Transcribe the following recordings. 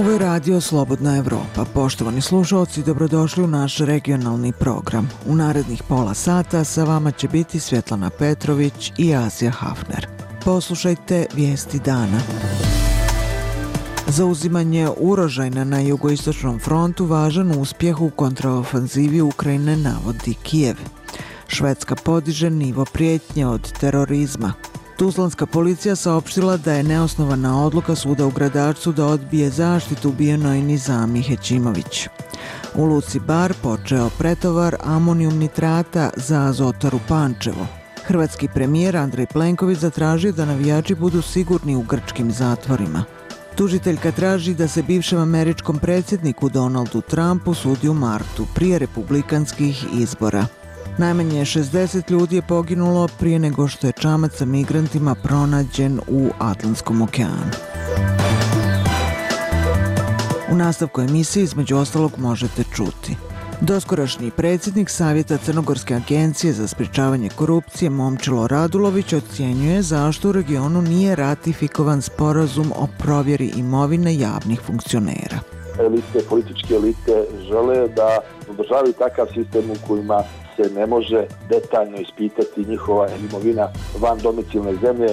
Ovo je radio Slobodna Evropa. Poštovani slušalci, dobrodošli u naš regionalni program. U narednih pola sata sa vama će biti Svjetlana Petrović i Asija Hafner. Poslušajte vijesti dana. Zauzimanje Urožajna na jugoistočnom frontu važan uspjeh u kontraofanzivi Ukrajine, navodi Kijev. Švedska podiže nivo prijetnje od terorizma. Tuzlanska policija saopštila da je neosnovana odluka suda u Gradačcu da odbije zaštitu ubijenoj Nizami Hećimović. U luci Bar počeo pretovar amonijum nitrata za Azotaru Pančevo. Hrvatski premijer Andrej Plenković zatražio da navijači budu sigurni u grčkim zatvorima. Tužiteljka traži da se bivšem američkom predsjedniku Donaldu Trumpu sudi u martu prije republikanskih izbora. Najmanje 60 ljudi je poginulo prije nego što je čamac sa migrantima pronađen u Atlantskom okeanu. U nastavku emisije između ostalog možete čuti. Doskorašnji predsjednik Savjeta Crnogorske agencije za sprječavanje korupcije Momčilo Radulović ocjenjuje zašto u regionu nije ratifikovan sporazum o provjeri imovine javnih funkcionera. Političke elite žele da održavaju takav sistem u kojima se ne može detaljno ispitati njihova imovina van domicilne zemlje,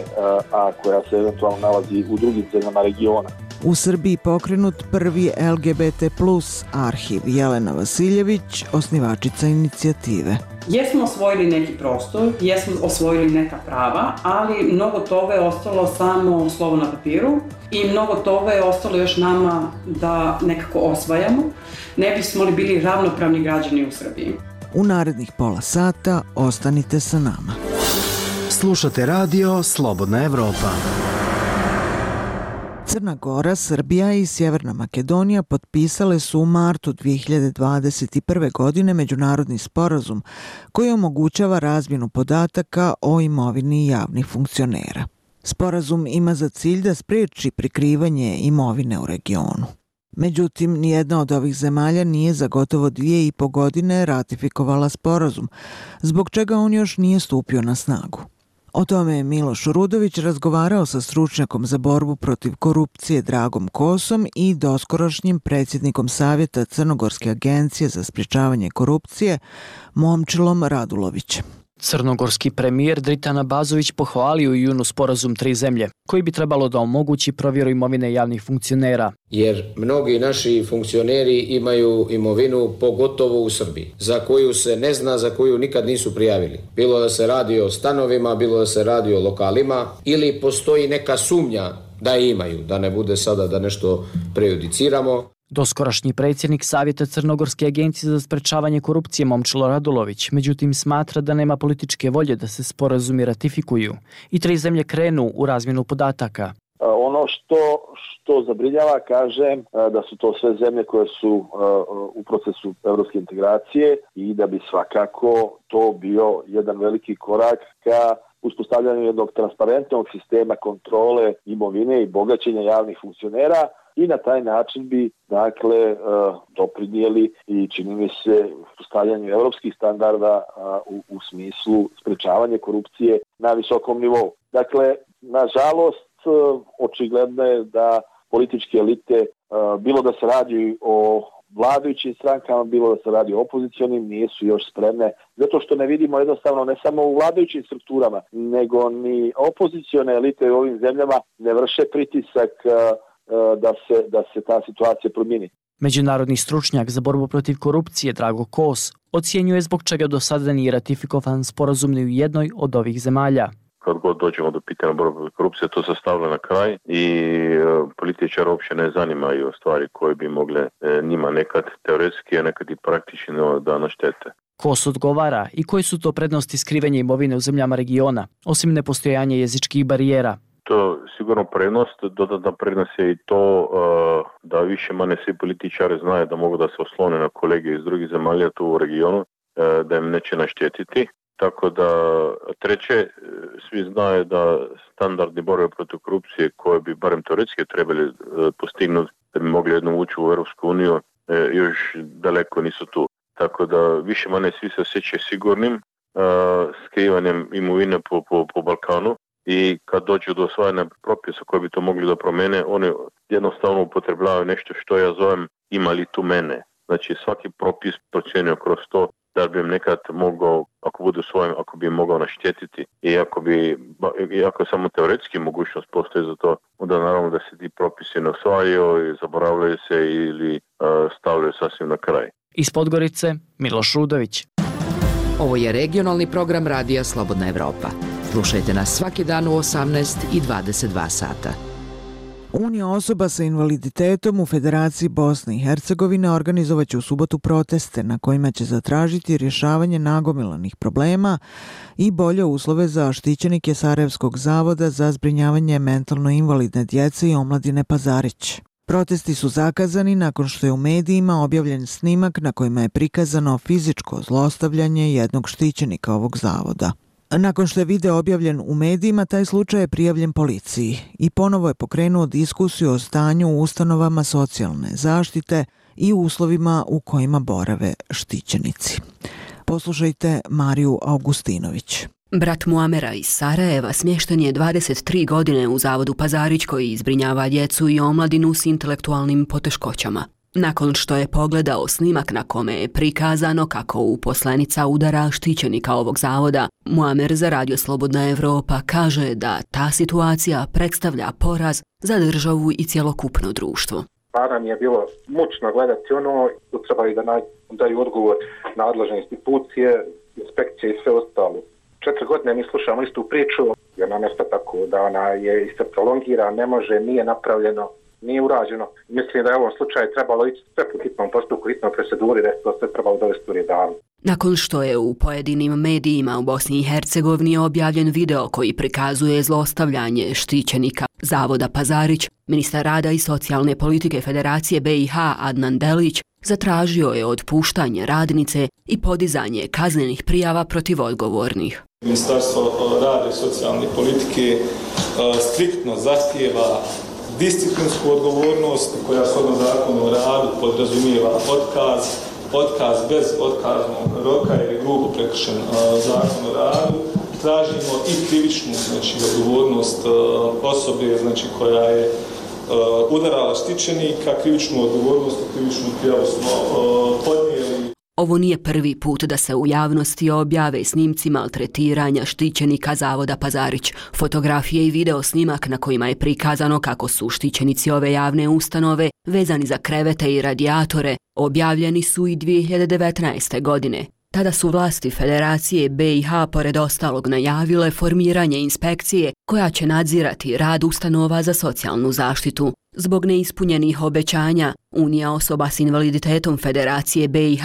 a koja se eventualno nalazi u drugim zemljama regiona. U Srbiji pokrenut prvi LGBT+ arhiv. Jelena Vasiljević, osnivačica inicijative. Jesmo osvojili neki prostor, jesmo osvojili neka prava, ali mnogo toga je ostalo samo slovo na papiru i mnogo toga je ostalo još nama da nekako osvajamo. Ne bismo li bili ravnopravni građani u Srbiji. U narednih pola sata ostanite sa nama. Slušate radio Slobodna Evropa. Crna Gora, Srbija i Sjeverna Makedonija potpisale su u martu 2021. godine međunarodni sporazum koji omogućava razmjenu podataka o imovini javnih funkcionera. Sporazum ima za cilj da spriječi prikrivanje imovine u regionu. Međutim, nijedna od ovih zemalja nije za gotovo 2,5 godine ratifikovala sporazum, zbog čega on još nije stupio na snagu. O tome je Miloš Rudović razgovarao sa stručnjakom za borbu protiv korupcije Dragom Kosom i doskorašnjim predsjednikom Savjeta Crnogorske agencije za sprječavanje korupcije Momčilom Radulovićem. Crnogorski premijer Dritan Abazović pohvalio u junu sporazum 3 zemlje, koji bi trebalo da omogući provjeru imovine javnih funkcionera. Jer mnogi naši funkcioneri imaju imovinu, pogotovo u Srbiji, za koju se ne zna, za koju nikad nisu prijavili. Bilo da se radi o stanovima, bilo da se radi o lokalima, ili postoji neka sumnja da je imaju, da ne bude sada da nešto prejudiciramo. Doskorašnji predsjednik Savjeta Crnogorske agencije za sprječavanje korupcije Momčilo Radulović, međutim smatra da nema političke volje da se sporazumi ratifikuju i 3 zemlje krenu u razmjenu podataka. Ono što zabrinjava, kažem, da su to sve zemlje koje su u procesu evropske integracije i da bi svakako to bio jedan veliki korak ka uspostavljanju jednog transparentnog sistema kontrole imovine i bogaćenja javnih funkcionera. I na taj način bi, doprinijeli i čini mi se postavljanju evropskih standarda u smislu sprečavanja korupcije na visokom nivou. Dakle, nažalost, očigledno je da političke elite, bilo da se radi o vladajućim strankama, bilo da se radi o opozicionim, nisu još spremne, zato što ne vidimo jednostavno ne samo u vladajućim strukturama, nego ni opozicione elite u ovim zemljama ne vrše pritisak da se ta situacija promijeni. Međunarodni stručnjak za borbu protiv korupcije Drago Kos ocjenjuje zbog čega do sada nije ratifikovan sporazum ni u jednoj od ovih zemalja. Kad god dođemo do pitanja borbe protiv korupcije, to se stavlja na kraj i političari uopće ne zanimaju stvari koje bi mogle njima nekad teoretski, a nekad i praktično da naštete. Kos odgovara i koje su to prednosti skrivanja imovine u zemljama regiona, osim nepostojanja jezičkih barijera. To sigurno prednost, dodatna prednost je i to da više manje svi političari znaju da mogu da se oslone na kolege iz drugih zemalja tu u regionu, da im neće naštetiti. Tako da treće, svi znaju da standardi borbe protiv korupcije koje bi barem teoretski trebali postignuti da bi mogli jednom ući u Europsku uniju, još daleko nisu tu. Tako da više manje svi se osjećaju sigurnim skrivanjem imovine po Balkanu. i kad dođu do osvajanja propisa koji bi to mogli da promene, oni jednostavno upotrebljavaju nešto što ja zovem ima li tu mene. Znači svaki propis procjenio kroz to da bi im nekad mogao, ako bude svojim, ako bi im mogao naštetiti i ako samo teoretski mogućnost postoji za to, onda naravno da se ti propisi ne osvajaju i zaboravljaju se ili stavljaju sasvim na kraj. Iz Podgorice, Miloš Rudović. Ovo je regionalni program Radija Slobodna Evropa. Slušajte nas svaki dan u 18 i 22 sata. Unija osoba sa invaliditetom u Federaciji Bosne i Hercegovine organizovaće u subotu proteste na kojima će zatražiti rješavanje nagomilanih problema i bolje uslove za štićenike Sarajevskog zavoda za zbrinjavanje mentalno invalidne djece i omladine Pazarić. Protesti su zakazani nakon što je u medijima objavljen snimak na kojima je prikazano fizičko zlostavljanje jednog štićenika ovog zavoda. Nakon što je video objavljen u medijima, taj slučaj je prijavljen policiji i ponovo je pokrenuo diskusiju o stanju u ustanovama socijalne zaštite i uslovima u kojima borave štićenici. Poslušajte Mariju Augustinović. Brat Muamera iz Sarajeva smješten je 23 godine u zavodu Pazarić koji zbrinjava djecu i omladinu s intelektualnim poteškoćama. Nakon što je pogledao snimak na kome je prikazano kako uposlenica udara štićenika ovog zavoda, Muamer za Radio Slobodna Evropa kaže da ta situacija predstavlja poraz za državu i cjelokupno društvo. Stvarno mi je bilo mučno gledati ono, tu trebali da daju odgovor nadležne institucije, inspekcije i sve ostalo. 4 godine mi slušamo istu priču, jer nam je tako da ona je isto prolongira, ne može, nije napravljeno, nije urađeno. Mislim da je u ovom slučaju trebalo ići sve po hitnom postupku, hitnom proceduri, da je to sve trebalo dovesti u red davno. Nakon što je u pojedinim medijima u Bosni i Hercegovini objavljen video koji prikazuje zlostavljanje štićenika zavoda Pazarić, ministar rada i socijalne politike Federacije BiH Adnan Delić zatražio je otpuštanje radnice i podizanje kaznenih prijava protiv odgovornih. Ministarstvo rada i socijalne politike striktno zahtijeva disciplinsku odgovornost koja shodno zakonu o radu podrazumijeva otkaz bez otkaznog roka ili grubo prekršen zakon o radu. Tražimo i krivičnu odgovornost osobe koja je udarala štićenika, krivičnu odgovornost i krivičnu prijavu smo podnijeli. Ovo nije prvi put da se u javnosti objave snimci maltretiranja štićenika zavoda Pazarić. Fotografije i video snimak na kojima je prikazano kako su štićenici ove javne ustanove vezani za krevete i radijatore objavljeni su i 2019. godine. Tada su vlasti Federacije BiH pored ostalog najavile formiranje inspekcije koja će nadzirati rad ustanova za socijalnu zaštitu. Zbog neispunjenih obećanja, Unija osoba s invaliditetom Federacije BiH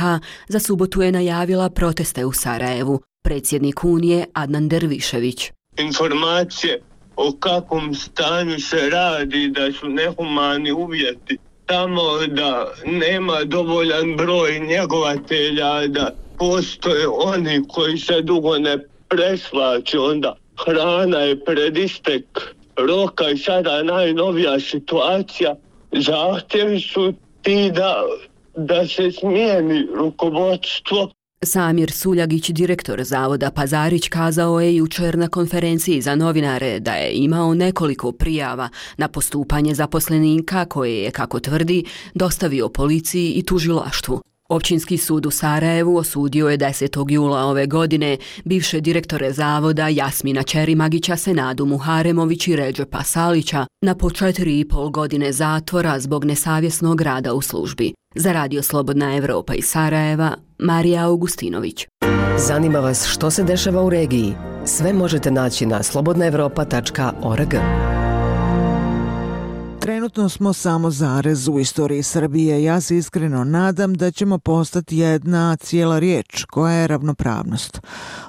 za subotu je najavila proteste u Sarajevu. Predsjednik Unije Adnan Dervišević. Informacije o kakvom stanju se radi, da su nehumani uvjeti, tamo da nema dovoljan broj njegovatelja, da postoje oni koji se dugo ne preslače, onda hrana je pred istek roka i sada najnovija situacija. Zahtjevi su ti da se smijeni rukovodstvo. Samir Suljagić, direktor zavoda Pazarić, kazao je jučer na konferenciji za novinare da je imao nekoliko prijava na postupanje zaposlenika koje je, kako tvrdi, dostavio policiji i tužilaštvu. Općinski sud u Sarajevu osudio je 10. jula ove godine bivše direktore zavoda Jasmina Čerimagića, Senadu Muharemović i Redžepa Salića na po 4,5 godine zatvora zbog nesavjesnog rada u službi. Za Radio Slobodna Evropa iz Sarajeva, Marija Augustinović. Zanima vas što se dešava u regiji? Sve možete naći na slobodnaevropa.org. Trenutno smo samo zarez u istoriji Srbije. Ja se iskreno nadam da ćemo postati jedna cijela riječ koja je ravnopravnost.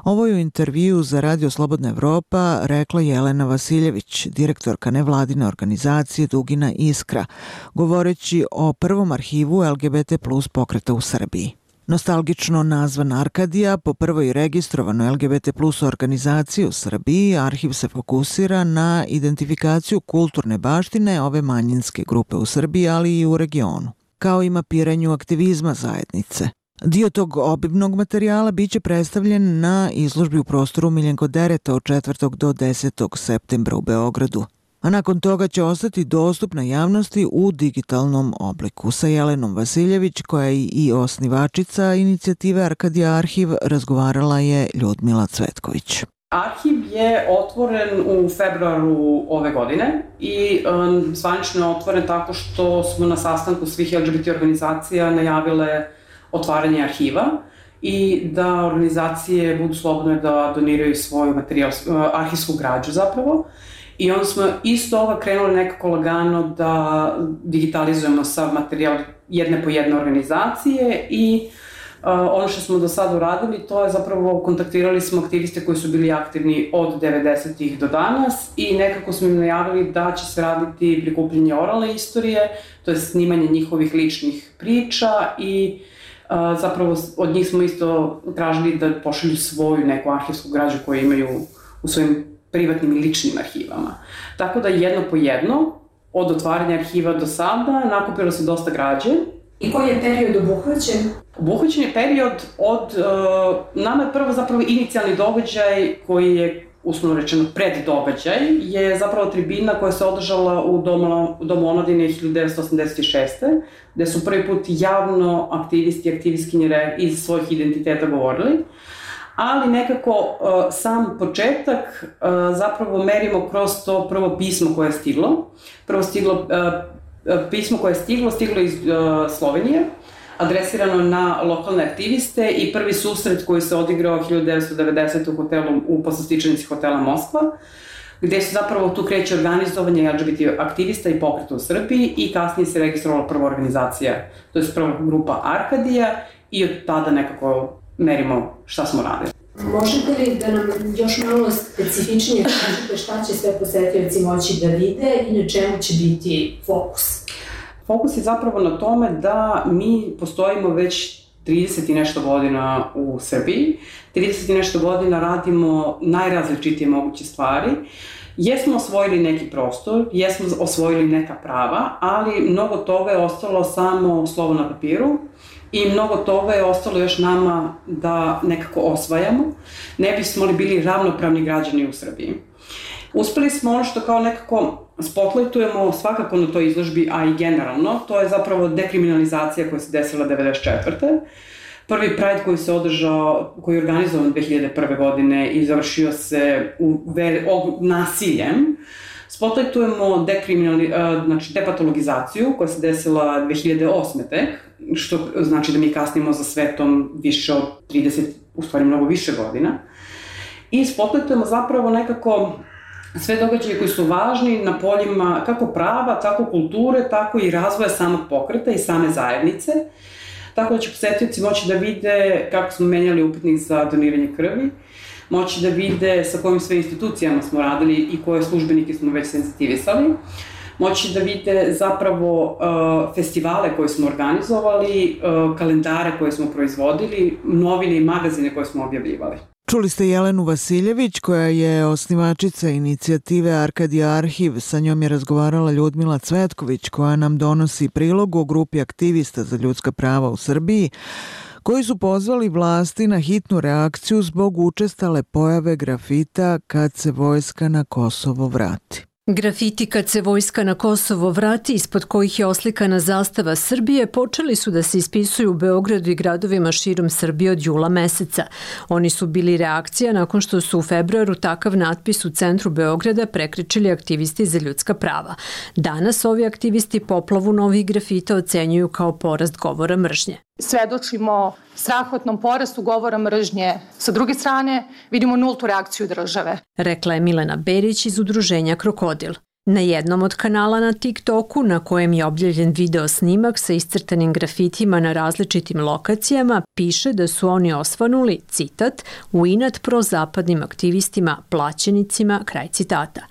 Ovo je u intervju za Radio Slobodna Evropa rekla Jelena Vasiljević, direktorka nevladine organizacije Dugina Iskra, govoreći o prvom arhivu LGBT plus pokreta u Srbiji. Nostalgično nazvan Arkadija, po prvoj registrovanoj LGBT plus organizaciji u Srbiji, arhiv se fokusira na identifikaciju kulturne baštine ove manjinske grupe u Srbiji, ali i u regionu, kao i mapiranju aktivizma zajednice. Dio tog obimnog materijala biće predstavljen na izložbi u prostoru Miljenko Dereta od 4. do 10. septembra u Beogradu, a nakon toga će ostati dostupna javnosti u digitalnom obliku. Sa Jelenom Vasiljević, koja je i osnivačica inicijative Arkadija Arhiv, razgovarala je Ljudmila Cvetković. Arhiv je otvoren u februaru ove godine i zvanično je otvoren tako što smo na sastanku svih LGBT organizacija najavile otvaranje arhiva i da organizacije budu slobodne da doniraju svoju materijal, arhivsku građu zapravo. I onda smo isto toga krenuli nekako lagano da digitalizujemo sav materijal jedne po jedne organizacije i ono što smo do sada uradili, to je zapravo kontaktirali smo aktiviste koji su bili aktivni od 90-ih do danas i nekako smo im najavili da će se raditi prikupljanje oralne istorije, to je snimanje njihovih ličnih priča i zapravo od njih smo isto tražili da pošalju svoju neku arhivsku građu koju imaju u svojim privatnim i ličnim arhivama. Tako da jedno po jedno, od otvaranja arhiva do sada, nakupilo se dosta građe. I koji je period obuhvaćen? Obuhvaćen je period od, nama je prvo zapravo inicijalni događaj koji je, uslovno rečeno, preddogađaj, je zapravo tribina koja se održala u Domu omladine 1986. gde su prvi put javno aktivisti i aktivistkinje iz svojih identiteta govorili, ali nekako sam početak zapravo merimo kroz to prvo pismo koje je stiglo. Pismo koje je stiglo iz Slovenije, adresirano na lokalne aktiviste i prvi susret koji se odigrao 1990. u hotelu, u poslastičanici hotela Moskva, gde su zapravo tu kreće organizovanje LGBT aktivista i pokreta u Srbiji i kasnije se registrovala prva organizacija, to je prva grupa Arkadija i od tada nekako merimo šta smo radili. Možete li da nam još malo specifičnije kažete šta će sve posetioci moći da vide i na čemu će biti fokus? Fokus je zapravo na tome da mi postojimo već 30 i nešto godina u Srbiji. 30 i nešto godina radimo najrazličitije moguće stvari. Jesmo osvojili neki prostor, jesmo osvojili neka prava, ali mnogo toga je ostalo samo slovo na papiru i mnogo toga je ostalo još nama da nekako osvajamo. Ne bismo li bili ravnopravni građani u Srbiji. Uspeli smo ono što kao nekako spotlightujemo svakako na toj izložbi, a i generalno, to je zapravo dekriminalizacija koja se desila 1994. Prvi Pride koji se održao, koji je organizovan 2001. godine i završio se nasiljem, spotlightujemo depatologizaciju koja se desila 2008. tek, što znači da mi kasnimo za svetom više od 30, u stvari mnogo više godina. I spotlightujemo zapravo nekako sve događaje koji su važni na poljima kako prava, tako kulture, tako i razvoja samog pokreta i same zajednice. Tako da će posetioci moći da vide kako smo menjali upitnik za doniranje krvi, moći da vide sa kojim sve institucijama smo radili i koje službenike smo već senzitivisali, moći da vide zapravo festivale koje smo organizovali, kalendare koje smo proizvodili, novine i magazine koje smo objavljivali. Čuli ste Jelenu Vasiljević, koja je osnivačica inicijative Arkadija Arhiv. Sa njom je razgovarala Ljudmila Cvetković, koja nam donosi prilog o grupi aktivista za ljudska prava u Srbiji, koji su pozvali vlasti na hitnu reakciju zbog učestale pojave grafita kad se vojska na Kosovo vrati. Grafiti kad se vojska na Kosovo vrati, ispod kojih je oslikana zastava Srbije, počeli su da se ispisuju u Beogradu i gradovima širom Srbije od jula meseca. Oni su bili reakcija nakon što su u februaru takav natpis u centru Beograda prekrečili aktivisti za ljudska prava. Danas ovi aktivisti poplavu novih grafita ocenjuju kao porast govora mržnje. Svedočimo strahotnom porastu govora mržnje. Sa druge strane, vidimo nultu reakciju države. Rekla je Milena Berić iz udruženja Krokodil. Na jednom od kanala na TikToku, na kojem je objavljen video snimak sa iscrtanim grafitima na različitim lokacijama, piše da su oni osvanuli, citat, u inat prozapadnim aktivistima, plaćenicima, kraj citata.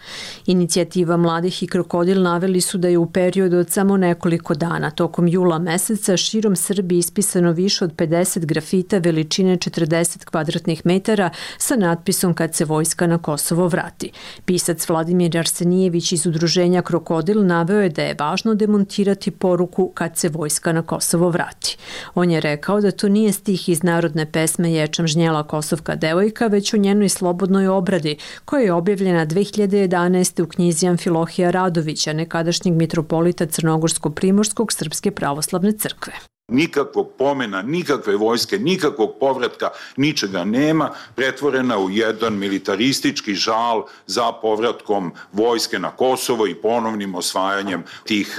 Inicijativa Mladih i Krokodil naveli su da je u periodu od samo nekoliko dana, tokom jula meseca, širom Srbije ispisano više od 50 grafita veličine 40 kvadratnih metara sa natpisom kad se vojska na Kosovo vrati. Pisac Vladimir Arsenijević iz iz udruženja Krokodil naveo je da je važno demontirati poruku kad se vojska na Kosovo vrati. On je rekao da to nije stih iz narodne pesme Ječam žnjela Kosovka devojka, već o njenoj slobodnoj obradi, koja je objavljena 2011. u knjizi Amfilohija Radovića, nekadašnjeg mitropolita Crnogorsko-Primorskog Srpske pravoslavne crkve. Nikakvog pomena, nikakve vojske, nikakvog povratka, ničega nema, pretvorena u jedan militaristički žal za povratkom vojske na Kosovo i ponovnim osvajanjem tih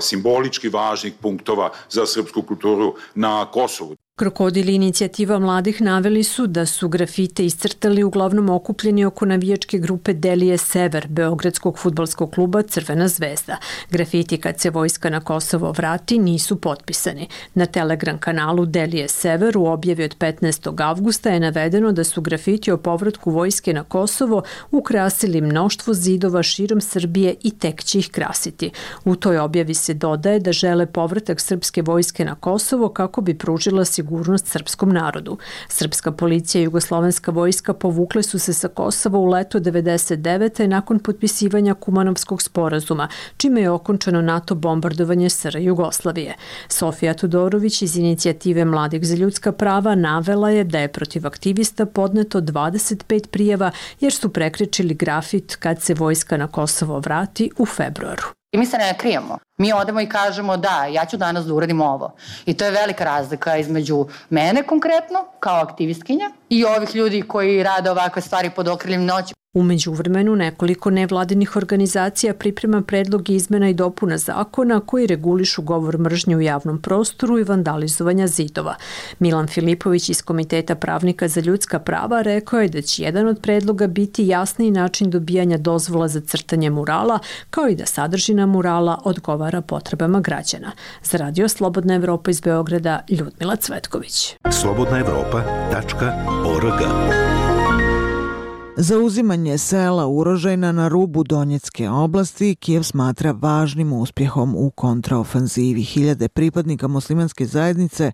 simbolički važnih punktova za srpsku kulturu na Kosovu. Krokodil i inicijativa mladih naveli su da su grafite iscrtali uglavnom okupljeni oko navijačke grupe Delije Sever, beogradskog fudbalskog kluba Crvena zvezda. Grafiti kad se vojska na Kosovo vrati nisu potpisani. Na Telegram kanalu Delije Sever u objavi od 15. avgusta je navedeno da su grafiti o povratku vojske na Kosovo ukrasili mnoštvo zidova širom Srbije i tek će ih krasiti. U toj objavi se dodaje da žele povratak srpske vojske na Kosovo kako bi pružila sigurnost srpskom narodu. Srpska policija i jugoslovenska vojska povukle su se sa Kosova u leto 1999. nakon potpisivanja Kumanovskog sporazuma, čime je okončano NATO bombardovanje SR Jugoslavije. Sofija Tudorović iz inicijative Mladih za ljudska prava navela je da je protiv aktivista podneto 25 prijava jer su prekrečili grafit kad se vojska na Kosovo vrati u februaru. I mi se ne krijemo. Mi odemo i kažemo da, ja ću danas da uradim ovo. I to je velika razlika između mene konkretno, kao aktivistkinja, i ovih ljudi koji rade ovakve stvari pod okriljem noći. U međuvremenu nekoliko nevladinih organizacija priprema predlog izmena i dopuna zakona koji regulišu govor mržnje u javnom prostoru i vandalizovanja zidova. Milan Filipović iz Komiteta pravnika za ljudska prava rekao je da će jedan od predloga biti jasniji način dobijanja dozvola za crtanje murala, kao i da sadržina murala odgovara potrebama građana. Za Radio Slobodna Evropa iz Beograda, Ljudmila Cvetković. slobodnaevropa.org. Zauzimanje sela Urožajna na rubu Donjecke oblasti Kijev smatra važnim uspjehom u kontraofanzivi. Hiljade pripadnika muslimanske zajednice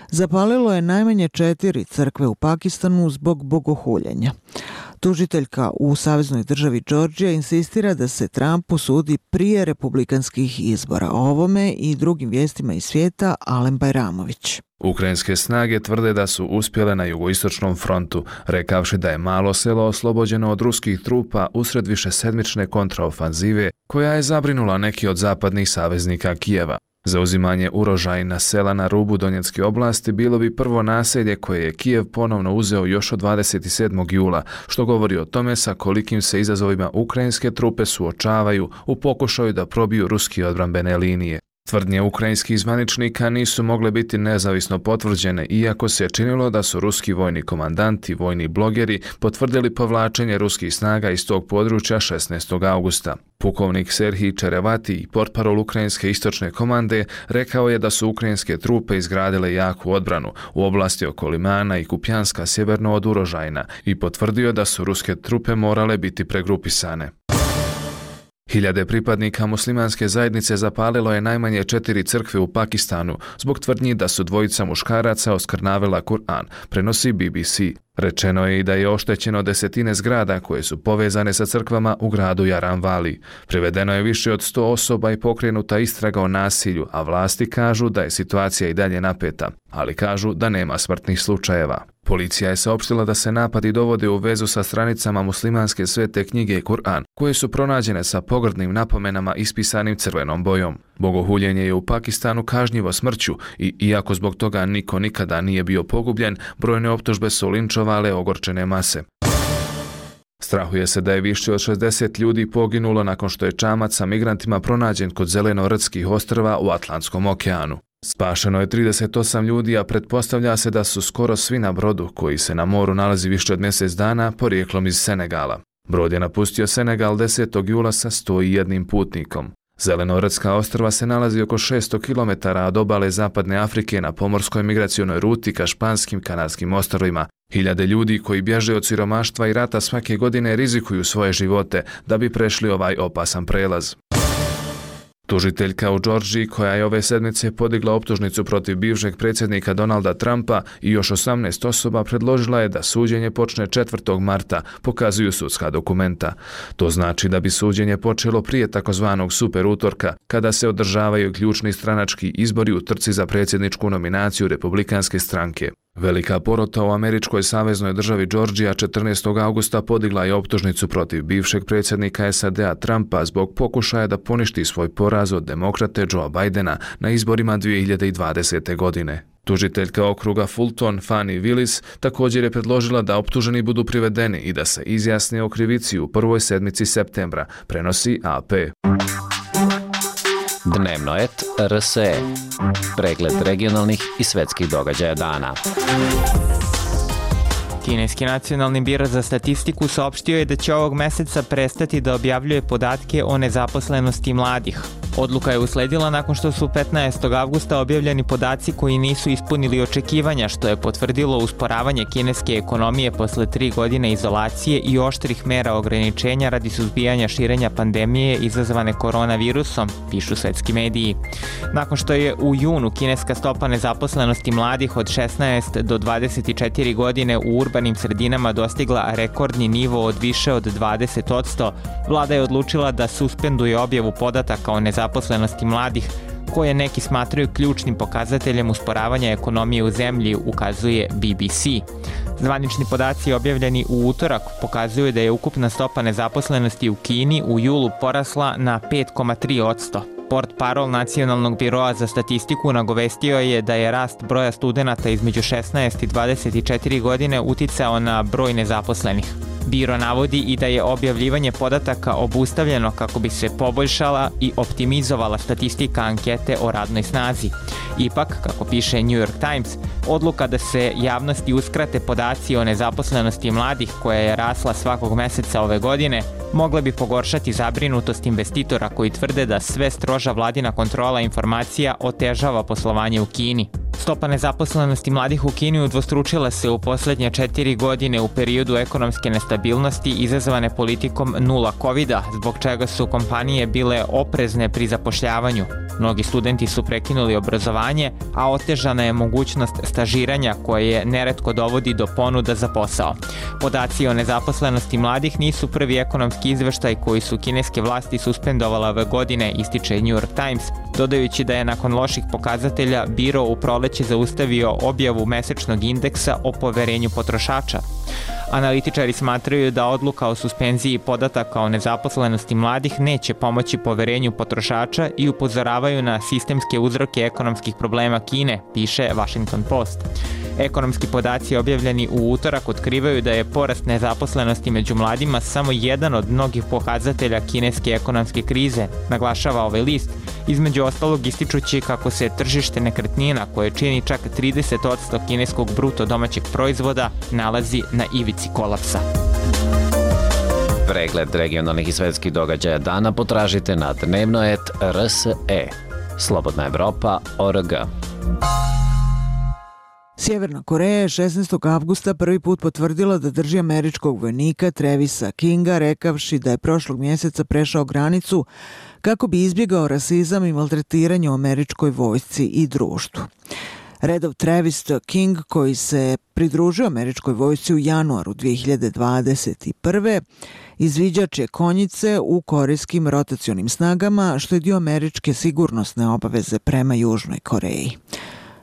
zapalilo je najmanje 4 crkve u Pakistanu zbog bogohuljenja. Tužiteljka u saveznoj državi Džordžija insistira da se Trumpu sudi prije republikanskih izbora. O ovome i drugim vijestima iz svijeta Alen Bajramović. Ukrajinske snage tvrde da su uspjele na jugoistočnom frontu, rekavši da je malo selo oslobođeno od ruskih trupa usred višesedmične kontraofanzive koja je zabrinula neki od zapadnih saveznika Kijeva. Zauzimanje Urožajna sela na rubu Donjecke oblasti bilo bi prvo naselje koje je Kijev ponovno uzeo još od 27. jula, što govori o tome sa kolikim se izazovima ukrajinske trupe suočavaju u pokušaju da probiju ruski odbrambene linije. Tvrdnje ukrajinskih zvaničnika nisu mogle biti nezavisno potvrđene, iako se činilo da su ruski vojni komandanti i vojni blogeri potvrdili povlačenje ruskih snaga iz tog područja 16. augusta. Pukovnik Serhij Čerevati, portparol ukrajinske istočne komande, rekao je da su ukrajinske trupe izgradile jaku odbranu u oblasti oko Limana i Kupjanska sjeverno od Urožajna i potvrdio da su ruske trupe morale biti pregrupisane. Hiljade pripadnika muslimanske zajednice zapalilo je najmanje 4 crkve u Pakistanu zbog tvrdnji da su dvojica muškaraca oskrnavila Kur'an, prenosi BBC. Rečeno je i da je oštećeno desetine zgrada koje su povezane sa crkvama u gradu Jaranvali. Privedeno je više od 100 osoba i pokrenuta istraga o nasilju, a vlasti kažu da je situacija i dalje napeta, ali kažu da nema smrtnih slučajeva. Policija je saopštila da se napadi dovode u vezu sa stranicama muslimanske svete knjige Kur'an, koje su pronađene sa pogrdnim napomenama ispisanim crvenom bojom. Bogohuljenje je u Pakistanu kažnjivo smrću i iako zbog toga niko nikada nije bio pogubljen, brojne optužbe su linčovale ogorčene mase. Strahuje se da je više od 60 ljudi poginulo nakon što je čamac sa migrantima pronađen kod Zelenorodskih ostrva u Atlantskom okeanu. Spašeno je 38 ljudi, a pretpostavlja se da su skoro svi na brodu, koji se na moru nalazi više od mjesec dana, porijeklom iz Senegala. Brod je napustio Senegal 10. jula sa 101 putnikom. Zelenorodska ostrva se nalazi oko 600 km od obale Zapadne Afrike na pomorskoj migracionoj ruti ka Španskim Kanarskim ostrvima. Hiljade ljudi koji bježe od siromaštva i rata svake godine rizikuju svoje živote da bi prešli ovaj opasan prelaz. Tužiteljka u Džordžiji, koja je ove sedmice podigla optužnicu protiv bivšeg predsjednika Donalda Trumpa i još 18 osoba, predložila je da suđenje počne 4. marta, pokazuju sudska dokumenta. To znači da bi suđenje počelo prije takozvanog super utorka, kada se održavaju ključni stranački izbori u trci za predsjedničku nominaciju Republikanske stranke. Velika porota u američkoj saveznoj državi Džordžija 14. augusta podigla je optužnicu protiv bivšeg predsjednika SAD-a Trumpa zbog pokušaja da poništi svoj poraz od demokrate Joea Bidena na izborima 2020. godine. Tužiteljka okruga Fulton, Fani Willis, također je predložila da optuženi budu privedeni i da se izjasne o krivici u prvoj sedmici septembra, prenosi AP. Dnevno et RSE. Pregled regionalnih i svetskih događaja dana. Kineski nacionalni biro za statistiku saopštio je da će ovog meseca prestati da objavljuje podatke o nezaposlenosti mladih. Odluka je usledila nakon što su 15. avgusta objavljeni podaci koji nisu ispunili očekivanja, što je potvrdilo usporavanje kineske ekonomije posle 3 godine izolacije i oštrih mera ograničenja radi suzbijanja širenja pandemije izazvane koronavirusom, pišu svetski mediji. Nakon što je u junu kineska stopa nezaposlenosti mladih od 16 do 24 godine u urbanim sredinama dostigla rekordni nivo od više od 20%, vlada je odlučila da suspenduje objavu podataka o nezaposlenosti mladih, koje neki smatraju ključnim pokazateljem usporavanja ekonomije u zemlji, ukazuje BBC. Zvanični podaci objavljeni u utorak pokazuju da je ukupna stopa nezaposlenosti u Kini u julu porasla na 5,3%. Portparol Nacionalnog biroa za statistiku nagovestio je da je rast broja studenata između 16 i 24 godine uticao na broj nezaposlenih. Biro navodi i da je objavljivanje podataka obustavljeno kako bi se poboljšala i optimizovala statistika ankete o radnoj snazi. Ipak, kako piše New York Times, odluka da se javnosti uskrate podaci o nezaposlenosti mladih, koja je rasla svakog meseca ove godine, mogla bi pogoršati zabrinutost investitora koji tvrde da sve stroža vladina kontrola informacija otežava poslovanje u Kini. Stopa nezaposlenosti mladih u Kini udvostručila se u poslednje 4 godine u periodu ekonomske nestabilnosti izazvane politikom nula covida, zbog čega su kompanije bile oprezne pri zapošljavanju. Mnogi studenti su prekinuli obrazovanje, a otežana je mogućnost stažiranja koje neretko dovodi do ponuda za posao. Podaci o nezaposlenosti mladih nisu prvi ekonomski izveštaj koji su kineske vlasti suspendovala ove godine, ističe New York Times, dodajući da je nakon loših pokazatelja biro u proleće zaustavio objavu mesečnog indeksa o poverenju potrošača. Analitičari smatraju da odluka o suspenziji podataka o nezaposlenosti mladih neće pomoći poverenju potrošača i upozoravaju na sistemske uzroke ekonomskih problema Kine, piše Washington Post. Ekonomski podaci objavljeni u utorak otkrivaju da je porast nezaposlenosti među mladima samo jedan od mnogih pokazatelja kineske ekonomske krize, naglašava ovaj list, između ostalog ističući kako se tržište nekretnina, koje čini čak 30% kineskog bruto domaćeg proizvoda, nalazi na ivici kolapsa. Pregled regionalnih i svetskih događaja dana potražite na dnevno.rt.rse. Slobodna Evropa.org. Sjeverna Koreja je 16. avgusta prvi put potvrdila da drži američkog vojnika Travisa Kinga, rekavši da je prošlog mjeseca prešao granicu kako bi izbjegao rasizam i maltretiranje u američkoj vojsci i društvu. Redov Travis King, koji se pridružio američkoj vojsci u januaru 2021. izviđač je konjice u korejskim rotacionim snagama, što je dio američke sigurnosne obaveze prema Južnoj Koreji.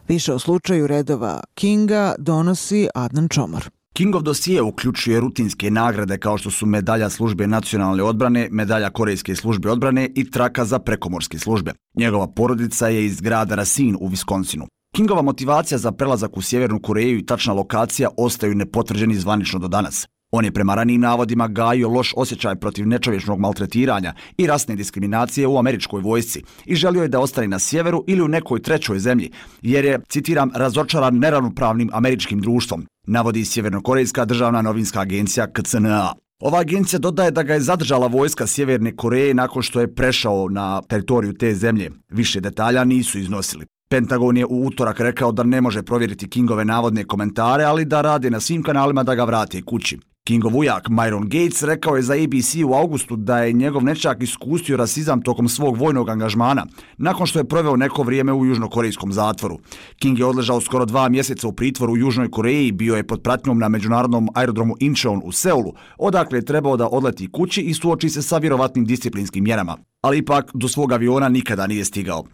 Više o slučaju redova Kinga donosi Adnan Čomor. Kingov dosije uključuje rutinske nagrade kao što su medalja službe nacionalne odbrane, medalja korejske službe odbrane i traka za prekomorske službe. Njegova porodica je iz grada Racine u Viskonsinu. Kingova motivacija za prelazak u Sjevernu Koreju i tačna lokacija ostaju nepotvrđeni zvanično do danas. On je prema ranijim navodima gajio loš osjećaj protiv nečovječnog maltretiranja i rasne diskriminacije u američkoj vojsci i želio je da ostane na sjeveru ili u nekoj trećoj zemlji, jer je, citiram, razočaran neravnopravnim američkim društvom, navodi Sjevernokorejska državna novinska agencija KCNA. Ova agencija dodaje da ga je zadržala vojska Sjeverne Koreje nakon što je prešao na teritoriju te zemlje. Više detalja nisu iznosili. Pentagon je u utorak rekao da ne može provjeriti Kingove navodne komentare, ali da radi na svim kanalima da ga vrate kući. Kingov ujak Myron Gates rekao je za ABC u augustu da je njegov nećak iskustio rasizam tokom svog vojnog angažmana, nakon što je proveo neko vrijeme u južnokorejskom zatvoru. King je odležao skoro 2 mjeseca u pritvoru u Južnoj Koreji i bio je pod pratnjom na međunarodnom aerodromu Incheon u Seulu, odakle je trebao da odleti kući i suoči se sa vjerovatnim disciplinskim mjerama. Ali ipak do svog aviona nikada nije stigao.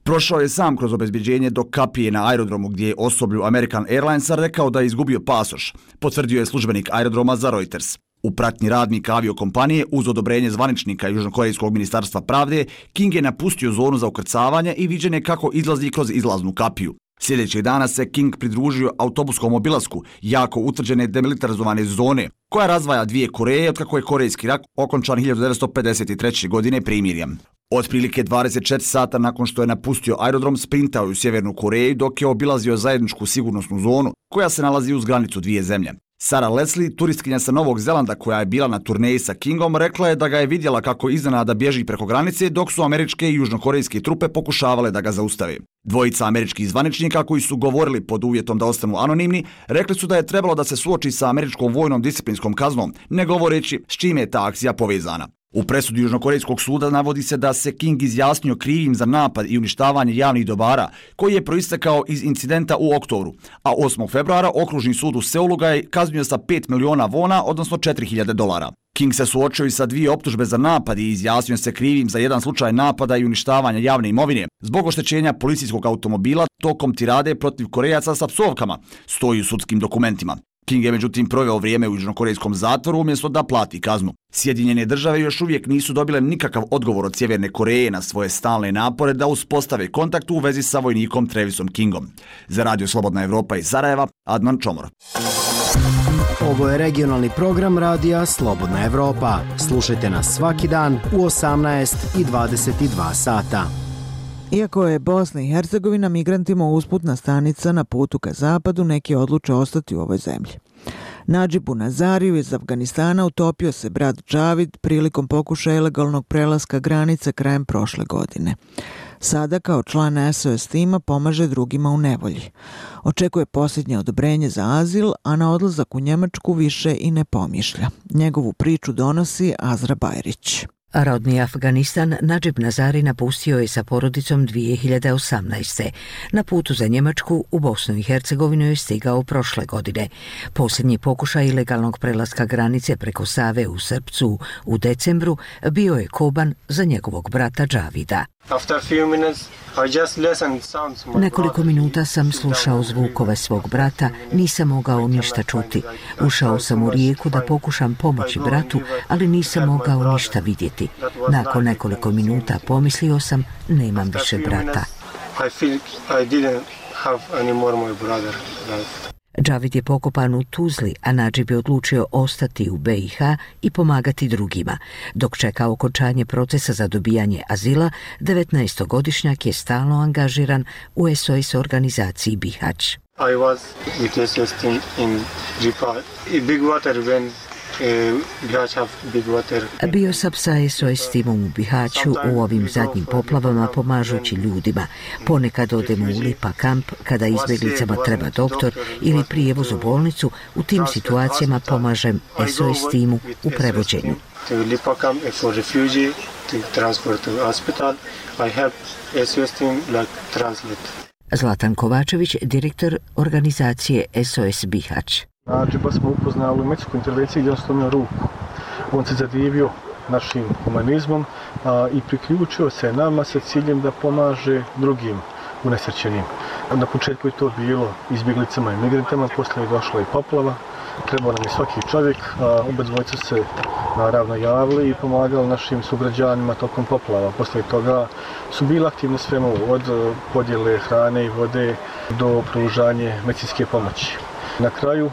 Prošao je sam kroz obezbeđenje do kapije na aerodromu gdje je osoblju American Airlinesa rekao da je izgubio pasoš, potvrdio je službenik aerodroma za Reuters. U pratnji radnika aviokompanije uz odobrenje zvaničnika Južnokorejskog ministarstva pravde, King je napustio zonu za ukrcavanje i viđen je kako izlazi kroz izlaznu kapiju. Sljedećeg dana se King pridružio autobuskom obilasku jako utvrđene demilitarizovane zone, koja razdvaja 2 Koreje otkako je Korejski rat okončan 1953. godine primirjem. Otprilike 24 sata nakon što je napustio aerodrom, sprintao je u Sjevernu Koreju dok je obilazio zajedničku sigurnosnu zonu koja se nalazi uz granicu 2 zemlje. Sarah Leslie, turistkinja sa Novog Zelanda koja je bila na turneji sa Kingom, rekla je da ga je vidjela kako iznenada bježi preko granice dok su američke i južnokorejske trupe pokušavale da ga zaustave. Dvojica američkih zvaničnika koji su govorili pod uvjetom da ostanu anonimni, rekli su da je trebalo da se suoči sa američkom vojnom disciplinskom kaznom, ne govoreći s čime je ta akcija povezana. U presudi Južnokorejskog suda navodi se da se King izjasnio krivim za napad i uništavanje javnih dobara, koji je proistekao iz incidenta u oktobru, a 8. februara okružni sud u Seulu ga je kaznio sa 5 miliona wona, odnosno $4.000. King se suočio i sa 2 optužbe za napad i izjasnio se krivim za jedan slučaj napada i uništavanja javne imovine zbog oštećenja policijskog automobila tokom tirade protiv Korejaca sa psovkama, stoji u sudskim dokumentima. King je međutim proveo vrijeme u južnokorejskom zatvoru umjesto da plati kaznu. Sjedinjene države još uvijek nisu dobile nikakav odgovor od Sjeverne Koreje na svoje stalne napore da uspostave kontakt u vezi sa vojnikom Travisom Kingom. Za Radio Slobodna Evropa iz Sarajeva, Adnan Čomor. Ovo je regionalni program Radija Slobodna Evropa. Slušajte nas svaki dan u 18 i 22 sata. Iako je Bosna i Hercegovina migrantima usputna stanica na putu ka zapadu, neki odluče ostati u ovoj zemlji. Nadžibu Nazariju iz Afganistana utopio se brat Džavid prilikom pokušaja ilegalnog prelaska granice krajem prošle godine. Sada kao član SOS tima pomaže drugima u nevolji. Očekuje posljednje odobrenje za azil, a na odlazak u Njemačku više i ne pomišlja. Njegovu priču donosi Azra Bajrić. Rodni Afganistan Nadžib Nazari napustio je sa porodicom 2018. Na putu za Njemačku u Bosnu i Hercegovinu je stigao prošle godine. Posljednji pokušaj ilegalnog prelaska granice preko Save u Srpcu u decembru bio je koban za njegovog brata Džavida. Nekoliko minuta sam slušao zvukove svog brata, nisam mogao ništa čuti. Ušao sam u rijeku da pokušam pomoći bratu, ali nisam mogao ništa vidjeti. Nakon nekoliko minuta pomislio sam, nemam više brata. Džavid je pokopan u Tuzli, a Nadžib je odlučio ostati u BiH i pomagati drugima. Dok čeka okončanje procesa za dobijanje azila, 19-godišnjak je stalno angažiran u SOS organizaciji Bihać. I was with SOS team in Ripa. Big water when Bio sam sa SOS timom u Bihaću u ovim zadnjim poplavama pomažući ljudima. Ponekad odemo u Lipa kamp kada izbjeglicama treba doktor ili prijevoz u bolnicu. U tim situacijama pomažem SOS timu u prevođenju. Lipa camp for refugee to transport to hospital. I help SOS team like translate. Zlatan Kovačević, direktor organizacije SOS Bihać. Nadžiba smo upoznali u meksičkoj intervenciji gdje on slomio ruku. On se zadivio našim humanizmom i priključio se nama sa ciljem da pomaže drugim unesrećenim. Na početku je to bilo izbjeglicama i migrantama, poslije je došla i poplava. Trebao nam je svaki čovjek, oba dvojica se naravno javili i pomagali našim sugrađanima tokom poplava. Poslije toga su bili aktivni svemu od podjele hrane i vode do pružanje medicinske pomoći. Na kraju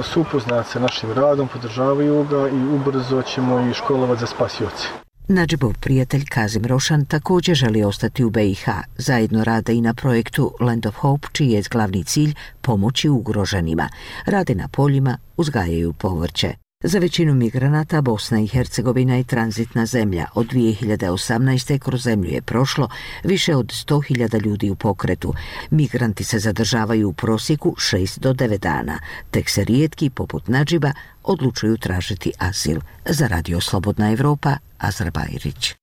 su upoznati sa našim radom, podržavaju ga i ubrzo ćemo i školovati za spasioce. Nadžibov prijatelj Kazim Rošan također želi ostati u BiH. Zajedno rade i na projektu Land of Hope, čiji je glavni cilj pomoći ugroženima. Rade na poljima, uzgajaju povrće. Za većinu migranata Bosna i Hercegovina je tranzitna zemlja. Od 2018. kroz zemlju je prošlo više od 100.000 ljudi u pokretu. Migranti se zadržavaju u prosjeku 6 do 9 dana. Tek se rijetki, poput Nadžiba, odlučuju tražiti azil. Za Radio Slobodna Evropa, Azra Bajrić.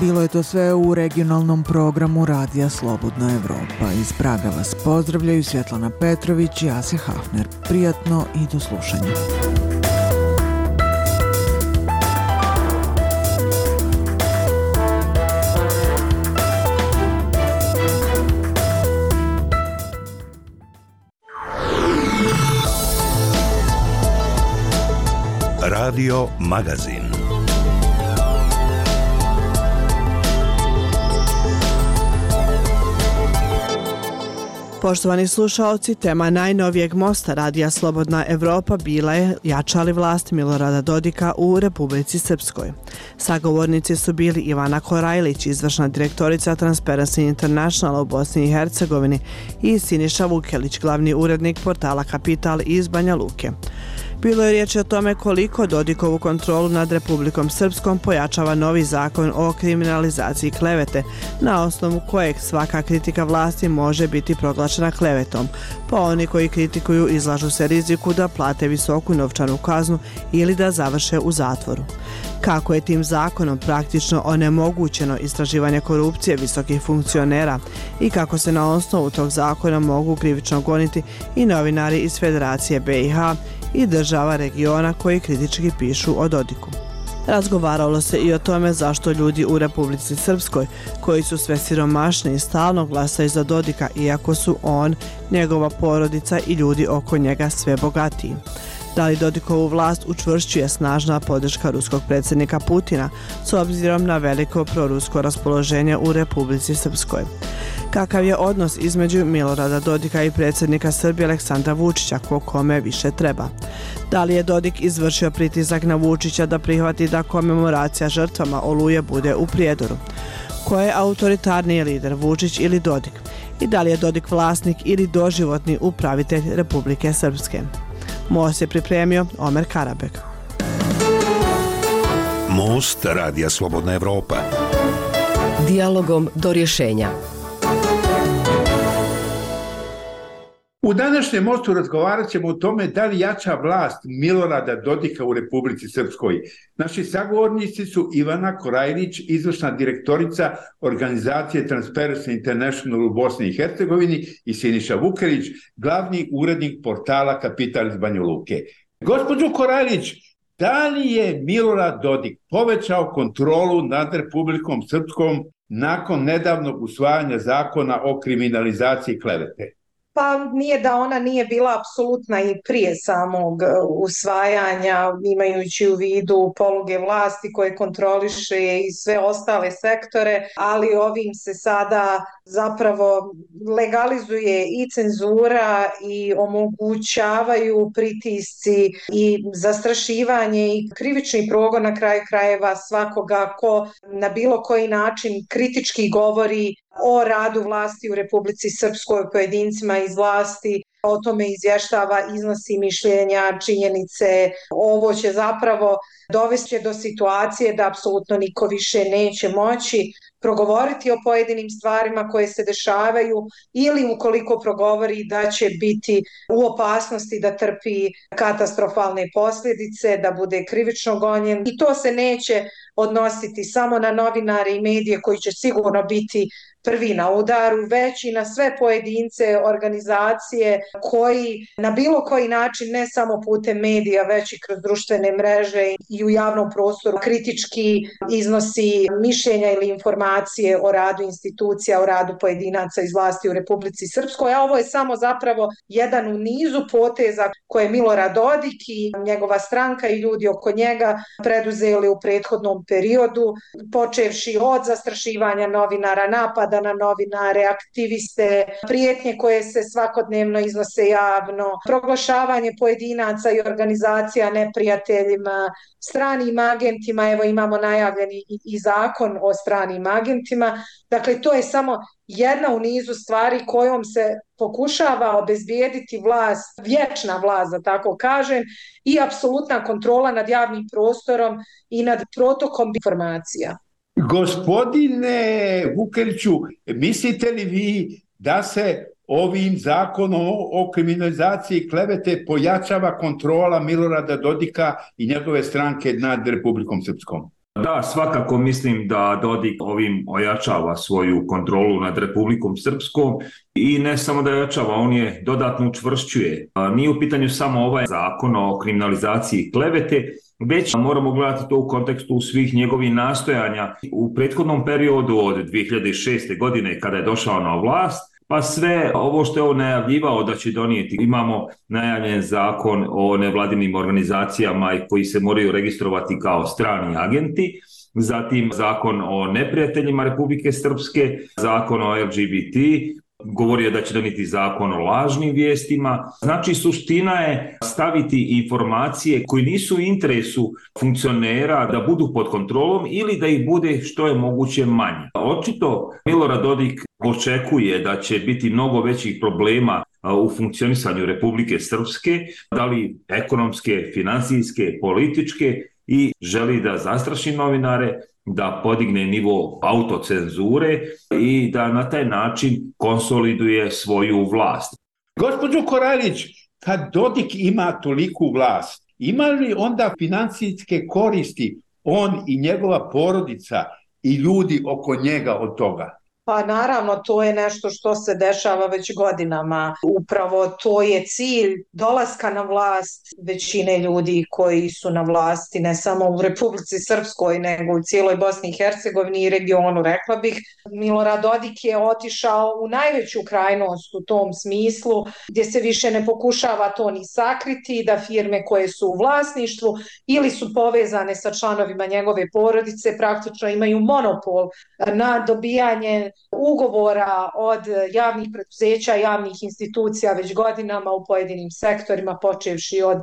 Bilo je to sve u regionalnom programu Radija Slobodna Evropa. Iz Praga vas pozdravljaju Svjetlana Petrović i Ase Hafner. Prijatno i do slušanja. Radio Magazin. Poštovani slušaoci, tema najnovijeg mosta Radija Slobodna Evropa bila je jača li vlast Milorada Dodika u Republici Srpskoj. Sagovornici su bili Ivana Korajlić, izvršna direktorica Transparency International u Bosni i Hercegovini, i Siniša Vukelić, glavni urednik portala Kapital iz Banja Luke. Bilo je riječi o tome koliko Dodikovu kontrolu nad Republikom Srpskom pojačava novi zakon o kriminalizaciji klevete, na osnovu kojeg svaka kritika vlasti može biti proglašena klevetom, pa oni koji kritikuju izlažu se riziku da plate visoku novčanu kaznu ili da završe u zatvoru. Kako je tim zakonom praktično onemogućeno istraživanje korupcije visokih funkcionera i kako se na osnovu tog zakona mogu krivično goniti i novinari iz Federacije BiH i država regiona koji kritički pišu o Dodiku. Razgovaralo se i o tome zašto ljudi u Republici Srpskoj, koji su sve siromašniji, stalno glasaju za Dodika, iako su on, njegova porodica i ljudi oko njega sve bogatiji. Da li Dodikovu vlast učvršćuje snažna podrška ruskog predsjednika Putina s obzirom na veliko prorusko raspoloženje u Republici Srpskoj? Kakav je odnos između Milorada Dodika i predsjednika Srbije Aleksandra Vučića, ko kome više treba? Da li je Dodik izvršio pritisak na Vučića da prihvati da komemoracija žrtvama Oluje bude u Prijedoru? Ko je autoritarniji lider, Vučić ili Dodik? I da li je Dodik vlasnik ili doživotni upravitelj Republike Srpske? Most je pripremio Omer Karabek. Most Radija Slobodna Evropa. Dijalogom do rješenja. U današnjem mostu razgovarat ćemo o tome da li jača vlast Milorada Dodika u Republici Srpskoj. Naši sagovornici su Ivana Korajlić, izvršna direktorica organizacije Transparency International u Bosni i Hercegovini, i Siniša Vukelić, glavni urednik portala Kapital iz Banja Luke. Gospođo Korajlić, da li je Milorad Dodik povećao kontrolu nad Republikom Srpskom nakon nedavnog usvajanja zakona o kriminalizaciji klevete? Pa nije da ona nije bila apsolutna i prije samog usvajanja, imajući u vidu poluge vlasti koje kontroliše i sve ostale sektore, ali ovim se sada zapravo legalizuje i cenzura i omogućavaju pritisci i zastrašivanje i krivični progon na kraju krajeva svakoga ko na bilo koji način kritički govori o radu vlasti u Republici Srpskoj, pojedincima iz vlasti, o tome izvještava, iznosi mišljenja, činjenice. Ovo će zapravo dovesti do situacije da apsolutno niko više neće moći progovoriti o pojedinim stvarima koje se dešavaju, ili ukoliko progovori da će biti u opasnosti da trpi katastrofalne posljedice, da bude krivično gonjen. I to se neće odnositi samo na novinare i medije koji će sigurno biti prvi na udaru, već i na sve pojedince, organizacije koji na bilo koji način, ne samo putem medija, već i kroz društvene mreže i u javnom prostoru kritički iznosi mišljenja ili informacije o radu institucija, o radu pojedinaca iz vlasti u Republici Srpskoj. A ovo je samo zapravo jedan u nizu poteza koje je Milorad Dodik i njegova stranka i ljudi oko njega preduzeli u prethodnom periodu, počevši od zastrašivanja novinara, napada na novinare, aktiviste, prijetnje koje se svakodnevno iznose javno, proglašavanje pojedinaca i organizacija neprijateljima, stranim agentima. Evo imamo najavljeni i zakon o stranim agentima. Dakle, to je samo jedna u nizu stvari kojom se pokušava obezbijediti vlast, vječna vlast, da tako kažem, i apsolutna kontrola nad javnim prostorom i nad protokom informacija. Gospodine Vukeliću, mislite li vi da se ovim zakonom o kriminalizaciji klevete pojačava kontrola Milorada Dodika i njegove stranke nad Republikom Srpskom? Da, svakako mislim da Dodik ovim ojačava svoju kontrolu nad Republikom Srpskom i ne samo da ojačava, on je dodatno učvršćuje. Nije u pitanju samo ovaj zakon o kriminalizaciji klevete, već moramo gledati to u kontekstu svih njegovih nastojanja u prethodnom periodu od 2006. godine kada je došao na vlast, pa sve ovo što je on najavljivao da će donijeti. Imamo najavljen zakon o nevladinim organizacijama koji se moraju registrovati kao strani agenti, zatim zakon o neprijateljima Republike Srpske, zakon o LGBT, govorio da će donijeti zakon o lažnim vijestima. Znači, suština je staviti informacije koje nisu u interesu funkcionera da budu pod kontrolom ili da ih bude što je moguće manje. Očito Milorad Dodik očekuje da će biti mnogo većih problema u funkcionisanju Republike Srpske, da li ekonomske, financijske, političke, i želi da zastraši novinare, da podigne nivo autocenzure i da na taj način konsoliduje svoju vlast. Gospođo Korajlić, kad Dodik ima toliku vlast, ima li onda financijske koristi on i njegova porodica i ljudi oko njega od toga? Pa naravno, to je nešto što se dešava već godinama. Upravo to je cilj dolaska na vlast većine ljudi koji su na vlasti, ne samo u Republici Srpskoj, nego u cijeloj Bosni i Hercegovini i regionu, rekla bih. Milorad Dodik je otišao u najveću krajnost u tom smislu, gdje se više ne pokušava to ni sakriti, da firme koje su u vlasništvu ili su povezane sa članovima njegove porodice praktično imaju monopol na dobijanje ugovora od javnih preduzeća, javnih institucija već godinama u pojedinim sektorima, počevši od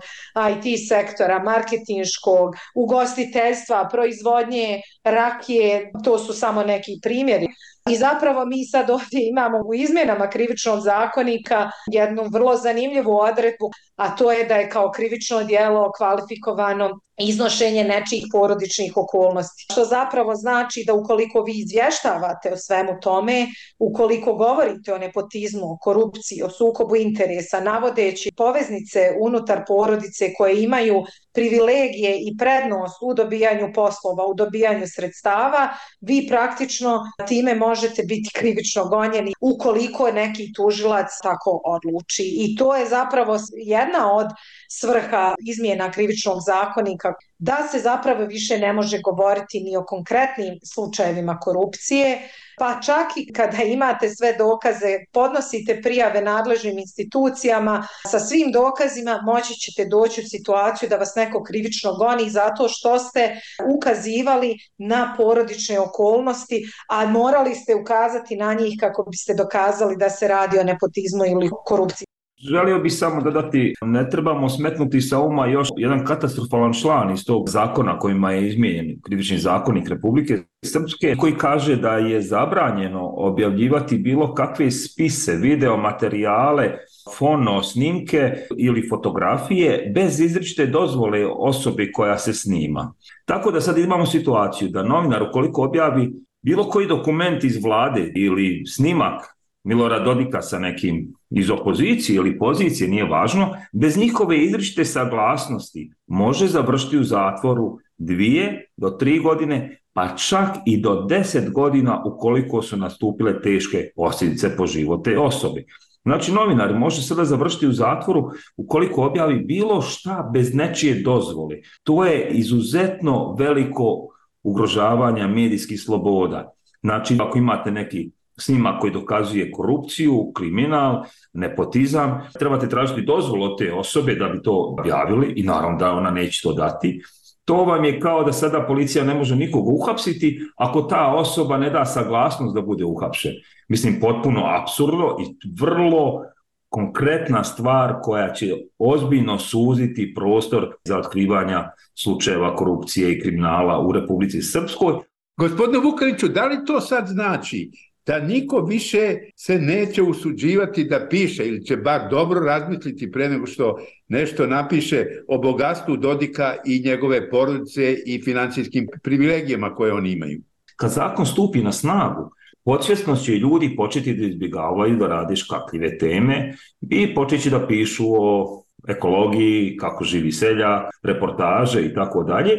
IT sektora, marketinškog, ugostiteljstva, proizvodnje rakije, to su samo neki primjeri. I zapravo mi sad ovdje imamo u izmjenama krivičnog zakonika jednu vrlo zanimljivu odredbu, a to je da je kao krivično djelo kvalifikovano iznošenje nečijih porodičnih okolnosti. Što zapravo znači da ukoliko vi izvještavate o svemu tome, ukoliko govorite o nepotizmu, o korupciji, o sukobu interesa, navodeći poveznice unutar porodice koje imaju privilegije i prednost u dobijanju poslova, u dobijanju sredstava, vi praktično time možete biti krivično gonjeni ukoliko neki tužilac tako odluči. I to je zapravo jedna od svrha izmjena krivičnog zakonika, da se zapravo više ne može govoriti ni o konkretnim slučajevima korupcije, pa čak i kada imate sve dokaze, podnosite prijave nadležnim institucijama, sa svim dokazima moći ćete doći u situaciju da vas neko krivično goni zato što ste ukazivali na porodične okolnosti, a morali ste ukazati na njih kako biste dokazali da se radi o nepotizmu ili korupciji. Želio bih samo dodati, ne trebamo smetnuti sa uma još jedan katastrofalan član iz tog zakona kojima je izmijenjen krivični zakonik Republike Srpske, koji kaže da je zabranjeno objavljivati bilo kakve spise, video materijale, fono, snimke ili fotografije bez izričite dozvole osobe koja se snima. Tako da sad imamo situaciju da novinar ukoliko objavi bilo koji dokument iz vlade ili snimak Milorada Dodika sa nekim iz opozicije ili pozicije, nije važno, bez njihove izričite saglasnosti može završiti u zatvoru 2 do 3 godine, pa čak i do 10 godina ukoliko su nastupile teške posljedice po život te osobe. Znači, novinar može sada završiti u zatvoru ukoliko objavi bilo šta bez nečije dozvole. To je izuzetno veliko ugrožavanje medijskih sloboda. Znači, ako imate neki snimak koji dokazuje korupciju, kriminal, nepotizam, trebate tražiti dozvolu od te osobe da bi to objavili i naravno da ona neće to dati. To vam je kao da sada policija ne može nikoga uhapsiti ako ta osoba ne da saglasnost da bude uhapšen. Mislim, potpuno apsurdno i vrlo konkretna stvar koja će ozbiljno suziti prostor za otkrivanja slučajeva korupcije i kriminala u Republici Srpskoj. Gospodine Vukeliću, da li to sad znači da niko više se neće usuđivati da piše ili će bar dobro razmisliti pre nego što nešto napiše o bogatstvu Dodika i njegove porodice i financijskim privilegijama koje oni imaju. Kad zakon stupi na snagu, podsvjesno će ljudi početi da izbjegavaju da rade škakljive teme i početi da pišu o ekologiji, kako živi seljak, reportaže i tako dalje,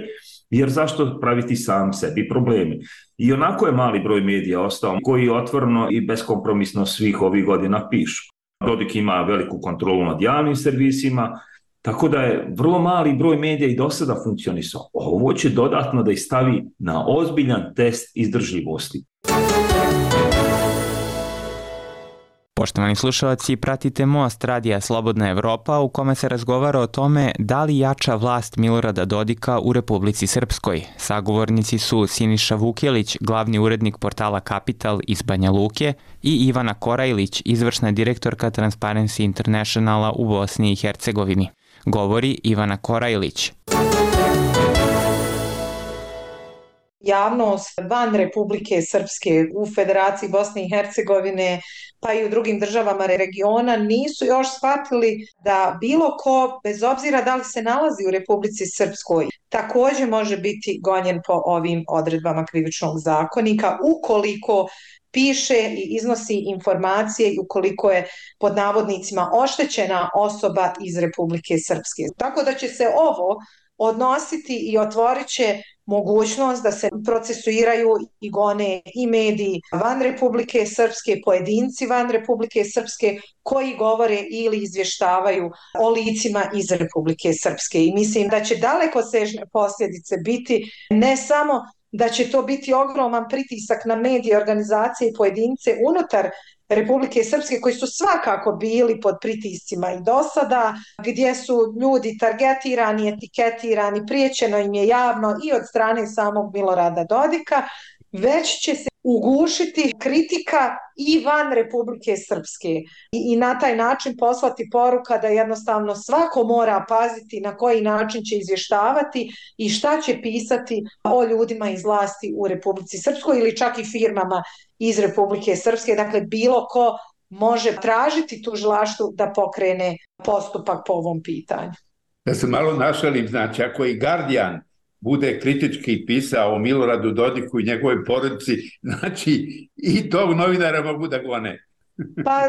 jer zašto praviti sam sebi problemi? I onako je mali broj medija ostao koji otvoreno i beskompromisno svih ovih godina pišu. Dodik ima veliku kontrolu nad javnim servisima, tako da je vrlo mali broj medija i do sada funkcionisao. Ovo će dodatno da ih stavi na ozbiljan test izdržljivosti. Poštovani slušalci, pratite Most radija Slobodna Evropa u kome se razgovara o tome da li jača vlast Milorada Dodika u Republici Srpskoj. Sagovornici su Siniša Vukjelić, glavni urednik portala Kapital iz Banja Luke, i Ivana Korajlić, izvršna direktorka Transparency Internationala u Bosni i Hercegovini. Govori Ivana Korajlić. Javnost van Republike Srpske u Federaciji Bosne i Hercegovine pa i u drugim državama regiona nisu još shvatili da bilo ko, bez obzira da li se nalazi u Republici Srpskoj, također može biti gonjen po ovim odredbama Krivičnog zakonika ukoliko piše i iznosi informacije i ukoliko je pod navodnicima oštećena osoba iz Republike Srpske. Tako da će se ovo odnositi i otvorit će mogućnost da se procesuiraju i gone i mediji van Republike Srpske, pojedinci van Republike Srpske koji govore ili izvještavaju o licima iz Republike Srpske. I mislim da će dalekosežne posljedice biti ne samo da će to biti ogroman pritisak na medije, organizacije i pojedince unutar Republike Srpske koji su svakako bili pod pritiscima i do sada, gdje su ljudi targetirani, etiketirani, priječeno im je javno i od strane samog Milorada Dodika, već će se ugušiti kritika i van Republike Srpske i na taj način poslati poruka da jednostavno svako mora paziti na koji način će izvještavati i šta će pisati o ljudima iz vlasti u Republici Srpskoj ili čak i firmama iz Republike Srpske. Dakle, bilo ko može tražiti tužilaštvu da pokrene postupak po ovom pitanju. Da se malo našalim, znači ako i Guardian bude kritički pisao o Miloradu Dodiku i njegovoj porodici, znači i tog novinara mogu da gone. Pa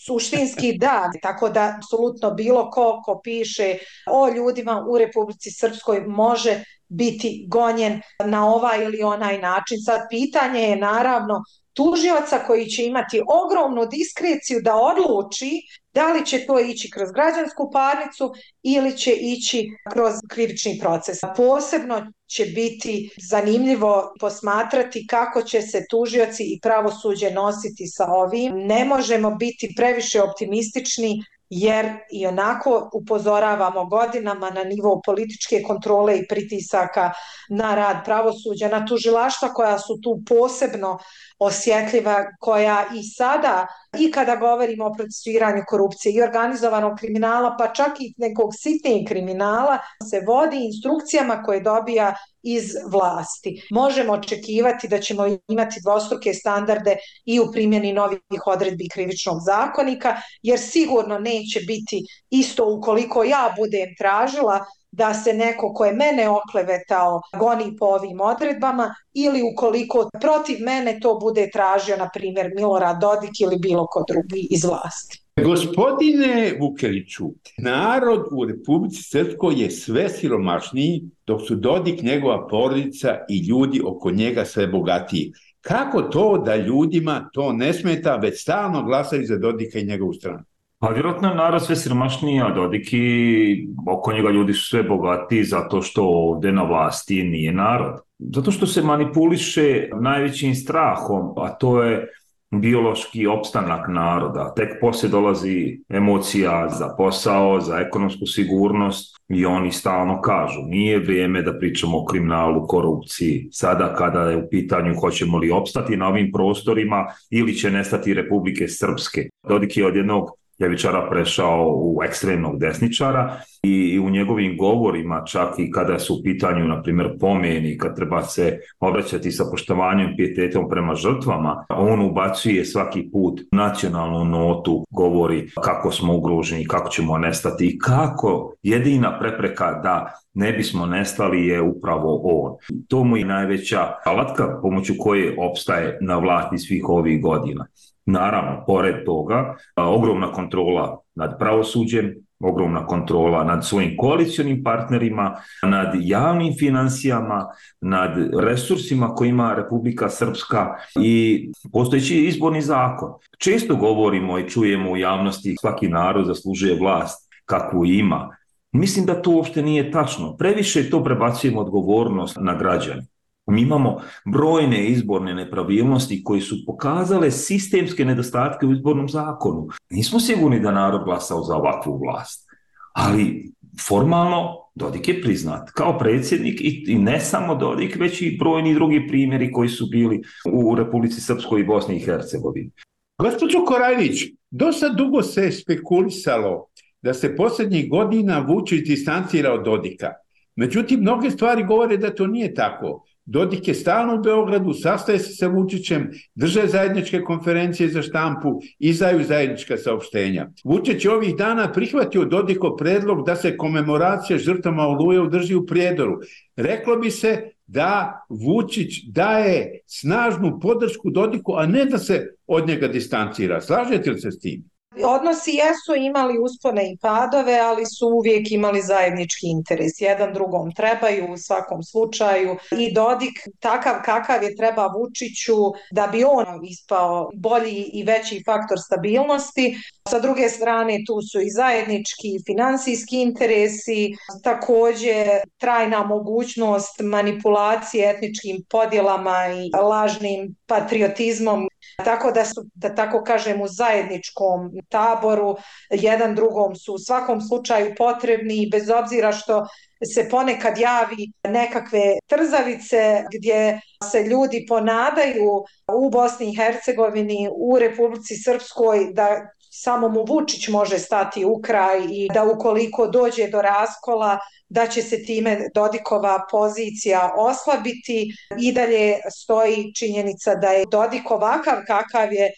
suštinski da, tako da apsolutno bilo ko piše o ljudima u Republici Srpskoj može biti gonjen na ovaj ili onaj način. Sad pitanje je naravno tužioca koji će imati ogromnu diskreciju da odluči da li će to ići kroz građansku parnicu ili će ići kroz krivični proces. Posebno će biti zanimljivo posmatrati kako će se tužioci i pravosuđe nositi sa ovim. Ne možemo biti previše optimistični jer i onako upozoravamo godinama na nivou političke kontrole i pritisaka na rad pravosuđa, na tužilaštva koja su tu posebno osjetljiva, koja i sada, i kada govorimo o procesuiranju korupcije i organizovanog kriminala, pa čak i nekog sitnijeg kriminala, se vodi instrukcijama koje dobija iz vlasti. Možemo očekivati da ćemo imati dvostruke standarde i u primjeni novih odredbi Krivičnog zakonika, jer sigurno neće biti isto ukoliko ja budem tražila da se neko ko je mene oklevetao goni po ovim odredbama ili ukoliko protiv mene to bude tražio, na primjer, Milorad Dodik ili bilo ko drugi iz vlasti. Gospodine Vukeliću, narod u Republici Srpskoj je sve siromašniji, dok su Dodik, njegova porodica i ljudi oko njega sve bogatiji. Kako to da ljudima to ne smeta, već stalno glasaju za Dodika i njegovu stranu? Pa vjerojatno je narod sve siromašniji, a Dodik i oko njega ljudi su sve bogatiji zato što ovdje na vlasti nije narod. Zato što se manipuliše najvećim strahom, a to je biološki opstanak naroda. Tek poslije dolazi emocija za posao, za ekonomsku sigurnost i oni stalno kažu nije vrijeme da pričamo o kriminalu, korupciji. Sada kada je u pitanju hoćemo li opstati na ovim prostorima ili će nestati Republike Srpske. Dodik je od jednog ljevičara prešao u ekstremnog desničara i u njegovim govorima, čak i kada su u pitanju, na primjer, pomeni, kad treba se obraćati sa poštovanjem, pijetetom prema žrtvama, on ubacuje svaki put nacionalnu notu, govori kako smo ugroženi, kako ćemo nestati i kako jedina prepreka da ne bismo nestali je upravo on. To mu je najveća alatka pomoću koje opstaje na vlasti svih ovih godina. Naravno, pored toga, ogromna kontrola nad pravosuđem, ogromna kontrola nad svojim koalicionim partnerima, nad javnim financijama, nad resursima koje ima Republika Srpska i postojeći izborni zakon. Često govorimo i čujemo u javnosti svaki narod zaslužuje vlast kakvu ima. Mislim da to uopšte nije tačno. Previše to prebacujemo odgovornost na građane. Mi imamo brojne izborne nepravilnosti koji su pokazale sistemske nedostatke u izbornom zakonu. Nismo sigurni da narod glasao za ovakvu vlast, ali formalno Dodik je priznat kao predsjednik i ne samo Dodik, već i brojni drugi primjeri koji su bili u Republici Srpskoj i Bosni i Hercegovini. Gospođo Korajlić, dosta dugo se spekulisalo da se posljednjih godina Vučić distancira od Dodika. Međutim, mnoge stvari govore da to nije tako. Dodik je stalno u Beogradu, sastaje se sa Vučićem, drže zajedničke konferencije za štampu, izdaju zajednička saopštenja. Vučić je ovih dana prihvatio Dodikov predlog da se komemoracija žrtvama Oluje održi u Prijedoru. Reklo bi se da Vučić daje snažnu podršku Dodiku, a ne da se od njega distancira. Slažete li se s tim? Odnosi jesu imali uspone i padove, ali su uvijek imali zajednički interes. Jedan drugom trebaju u svakom slučaju i Dodik takav kakav je treba Vučiću da bi on ispao bolji i veći faktor stabilnosti. Sa druge strane tu su i zajednički financijski interesi, također trajna mogućnost manipulacije etničkim podjelama i lažnim patriotizmom. Tako da su, da tako kažem, u zajedničkom taboru, jedan drugom su u svakom slučaju potrebni i bez obzira što se ponekad javi nekakve trzavice gdje se ljudi ponadaju u Bosni i Hercegovini, u Republici Srpskoj da samo mu Vučić može stati u kraj i da ukoliko dođe do raskola da će se time Dodikova pozicija oslabiti. I dalje stoji činjenica da je Dodik ovakav kakav je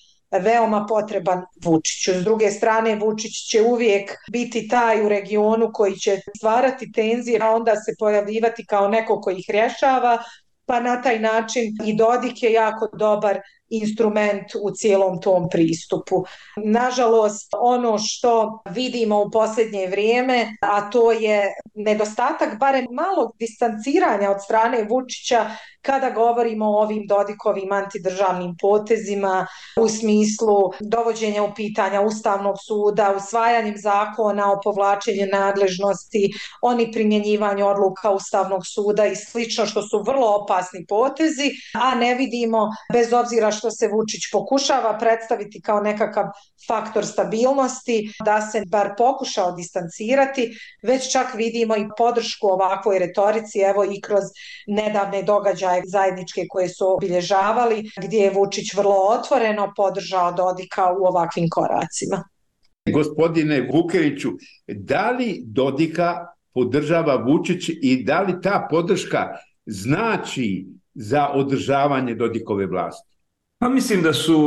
veoma potreban Vučiću. S druge strane, Vučić će uvijek biti taj u regionu koji će stvarati tenzije, a onda se pojavljivati kao neko koji ih rješava, pa na taj način i Dodik je jako dobar instrument u cijelom tom pristupu. Nažalost, ono što vidimo u posljednje vrijeme, a to je nedostatak barem malog distanciranja od strane Vučića kada govorimo o ovim Dodikovim antidržavnim potezima u smislu dovođenja u pitanja Ustavnog suda, usvajanjem zakona o povlačenju nadležnosti, oni primjenjivanju odluka Ustavnog suda i slično, što su vrlo opasni potezi, a ne vidimo, bez obzira što se Vučić pokušava predstaviti kao nekakav faktor stabilnosti, da se bar pokušao distancirati, već čak vidimo i podršku ovakvoj retorici, evo i kroz nedavne događaje zajedničke koje su obilježavali, gdje je Vučić vrlo otvoreno podržao Dodika u ovakvim koracima. Gospodine Vukeliću, da li Dodika podržava Vučić i da li ta podrška znači za održavanje Dodikove vlasti? Pa mislim da su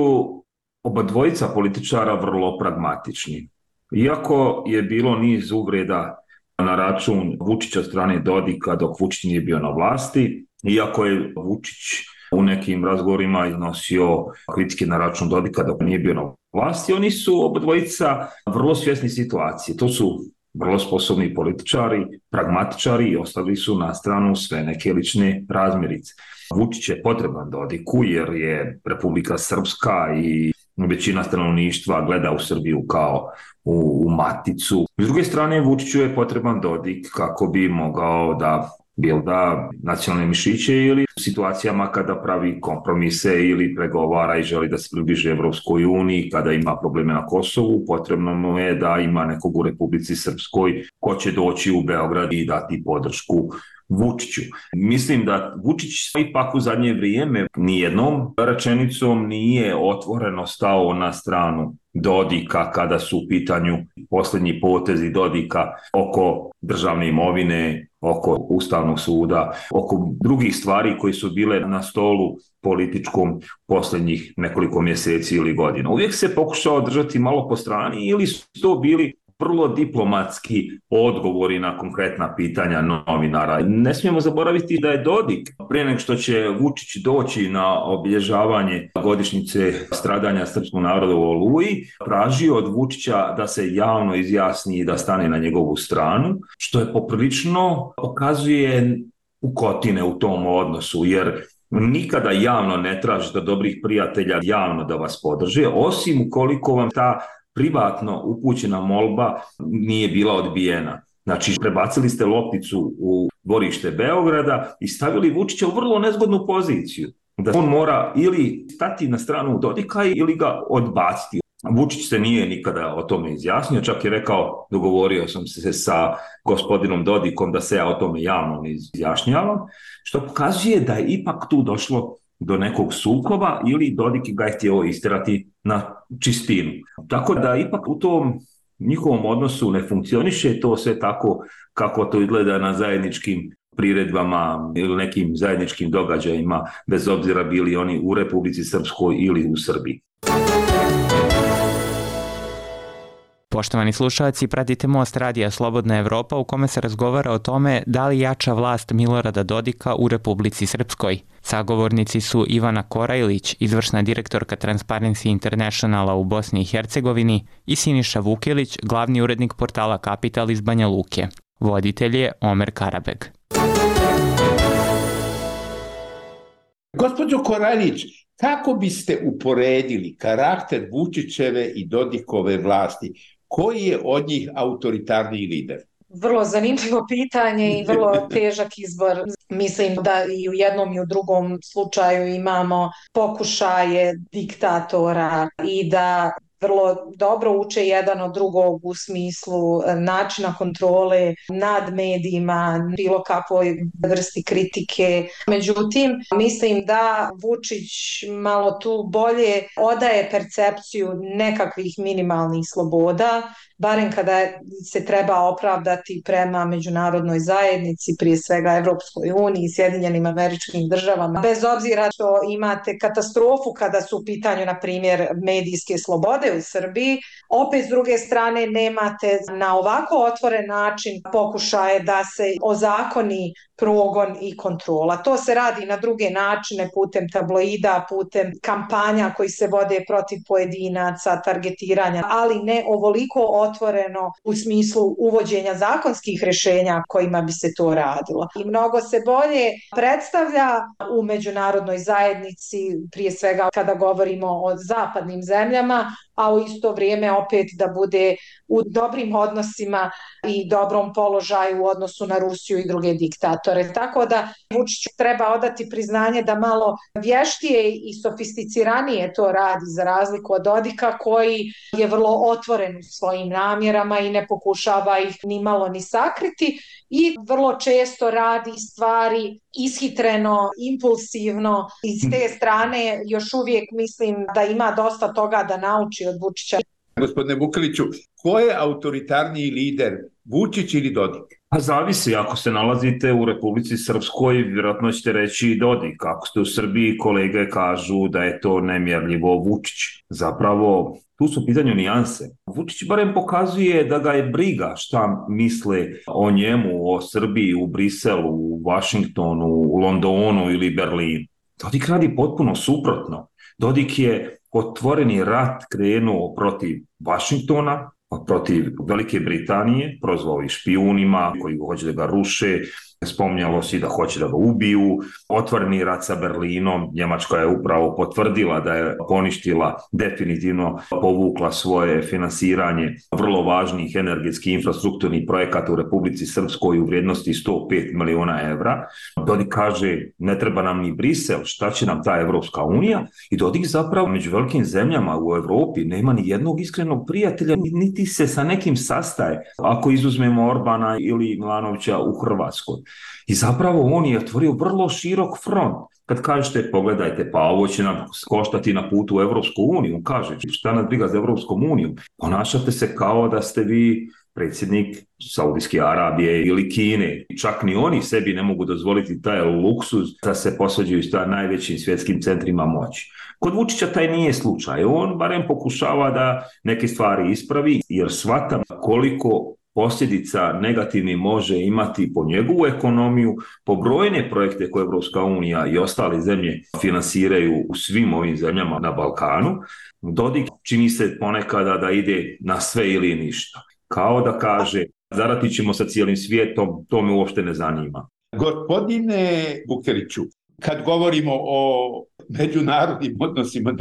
oba dvojica političara vrlo pragmatični. Iako je bilo niz uvreda na račun Vučića od strane Dodika dok Vučić nije bio na vlasti, iako je Vučić u nekim razgovorima iznosio kritike na račun Dodika dok nije bio na vlasti, oni su oba dvojica vrlo svjesni situacije. To su vrlo sposobni političari, pragmatičari i ostavili su na stranu sve neke lične razmirice. Vučić je potreban Dodiku jer je Republika Srpska i većina stanovništva gleda u Srbiju kao u maticu. S druge strane, Vučiću je potreban Dodik kako bi mogao da bilda nacionalne mišiće ili u situacijama kada pravi kompromise ili pregovara i želi da se približi Evropskoj uniji, kada ima probleme na Kosovu, potrebno mu je da ima nekog u Republici Srpskoj ko će doći u Beograd i dati podršku Vučiću. Mislim da Vučić ipak u zadnje vrijeme nijednom rečenicom nije otvoreno stao na stranu Dodika kada su u pitanju posljednji potezi Dodika oko državne imovine, oko Ustavnog suda, oko drugih stvari koji su bile na stolu političkom posljednjih nekoliko mjeseci ili godina. Uvijek se pokušao držati malo po strani ili su to bili vrlo diplomatski odgovori na konkretna pitanja novinara. Ne smijemo zaboraviti da je Dodik, prije nego što će Vučić doći na obilježavanje godišnjice stradanja srpskog naroda u Oluji, tražio od Vučića da se javno izjasni i da stane na njegovu stranu, što je poprilično pokazuje pukotine u tom odnosu, jer nikada javno ne tražite od dobrih prijatelja javno da vas podrže, osim ukoliko vam ta privatno upućena molba nije bila odbijena. Znači, prebacili ste lopticu u dvorište Beograda i stavili Vučića u vrlo nezgodnu poziciju. Da on mora ili stati na stranu Dodika ili ga odbaciti. Vučić se nije nikada o tome izjasnio, čak je rekao, dogovorio sam se sa gospodinom Dodikom da se ja o tome javno ne izjašnjavam, što pokazuje da je ipak tu došlo do nekog sukoba ili Dodik ga je htio istirati na čistinu. Tako da ipak u tom njihovom odnosu ne funkcioniše to sve tako kako to izgleda na zajedničkim priredbama ili nekim zajedničkim događajima, bez obzira bili oni u Republici Srpskoj ili u Srbiji. Poštovani slušalci, pratite Most radija Slobodna Evropa u kome se razgovara o tome da li jača vlast Milorada Dodika u Republici Srpskoj. Sagovornici su Ivana Korajlić, izvršna direktorka Transparency Internationala u Bosni i Hercegovini, i Siniša Vukilić, glavni urednik portala Kapital iz Banja Luke. Voditelj je Omer Karabeg. Gospođo Korajlić, kako biste uporedili karakter Vučićeve i Dodikove vlasti? Koji je od njih autoritarniji lider? Vrlo zanimljivo pitanje i vrlo težak izbor. Mislim da i u jednom i u drugom slučaju imamo pokušaje diktatora i da vrlo dobro uče jedan od drugog u smislu načina kontrole nad medijima, bilo kakvoj vrsti kritike. Međutim, mislim da Vučić malo tu bolje odaje percepciju nekakvih minimalnih sloboda, barem kada se treba opravdati prema međunarodnoj zajednici, prije svega Evropskoj uniji, Sjedinjenim Američkim Državama. Bez obzira što imate katastrofu kada su u pitanju, na primjer, medijske slobode u Srbiji, opet s druge strane nemate na ovako otvoren način pokušaje da se ozakoni progon i kontrola. To se radi na druge načine, putem tabloida, putem kampanja koji se vode protiv pojedinaca, targetiranja, ali ne ovoliko otvoreno u smislu uvođenja zakonskih rješenja kojima bi se to radilo. I mnogo se bolje predstavlja u međunarodnoj zajednici, prije svega kada govorimo o zapadnim zemljama, a u isto vrijeme opet da bude u dobrim odnosima i dobrom položaju u odnosu na Rusiju i druge diktatore. Tako da Vučiću treba odati priznanje da malo vještije i sofisticiranije to radi, za razliku od Dodika koji je vrlo otvoren u svojim namjerama i ne pokušava ih ni malo ni sakriti i vrlo često radi stvari ishitreno, impulsivno. I s te strane još uvijek mislim da ima dosta toga da nauči od Vučića. Gospodine Vukiliću, ko je autoritarniji lider, Vučić ili Dodik? Pa zavisi, ako se nalazite u Republici Srpskoj, vjerojatno ćete reći Dodik. Ako ste u Srbiji, kolege kažu da je to nemjerljivo Vučić. Zapravo, tu su pitanju nijanse. Vučić barem pokazuje da ga je briga šta misle o njemu, o Srbiji, u Briselu, u Vašingtonu, u Londonu ili Berlinu. Dodik radi potpuno suprotno. Dodik je otvoreni rat krenuo protiv Vašingtona, protiv Velike Britanije, prozvao ih špijunima koji hoće da ga ruše, spominjalo se da hoće da ga ubiju, otvoreni rat sa Berlinom, Njemačka je upravo potvrdila da je poništila, definitivno povukla svoje finansiranje vrlo važnih energetskih infrastrukturnih projekata u Republici Srpskoj u vrijednosti 105 miliona evra. Dodik kaže, ne treba nam ni Brisel, šta će nam ta Evropska unija? I Dodik zapravo među velikim zemljama u Evropi nema ni jednog iskrenog prijatelja, niti se sa nekim sastaje, ako izuzmemo Orbana ili Milanovića u Hrvatskoj. I zapravo on je otvorio vrlo širok front. Kad kažete, pogledajte, pa ovo će nam koštati na putu u Evropsku uniju, on kaže, šta nas briga za Evropskom unijom? Ponašate se kao da ste vi predsjednik Saudijske Arabije ili Kine. Čak ni oni sebi ne mogu dozvoliti taj luksuz da se posvađaju sa najvećim svjetskim centrima moći. Kod Vučića taj nije slučaj. On barem pokušava da neke stvari ispravi, jer shvata koliko posljedica negativni može imati po njegovu ekonomiju, po brojne projekte koje Evropska unija i ostale zemlje finansiraju u svim ovim zemljama na Balkanu. Dodik čini se ponekada da ide na sve ili ništa. Kao da kaže, zaratit ćemo sa cijelim svijetom, to me uopšte ne zanima. Gospodine Vukeliću, kad govorimo o međunarodnim odnosima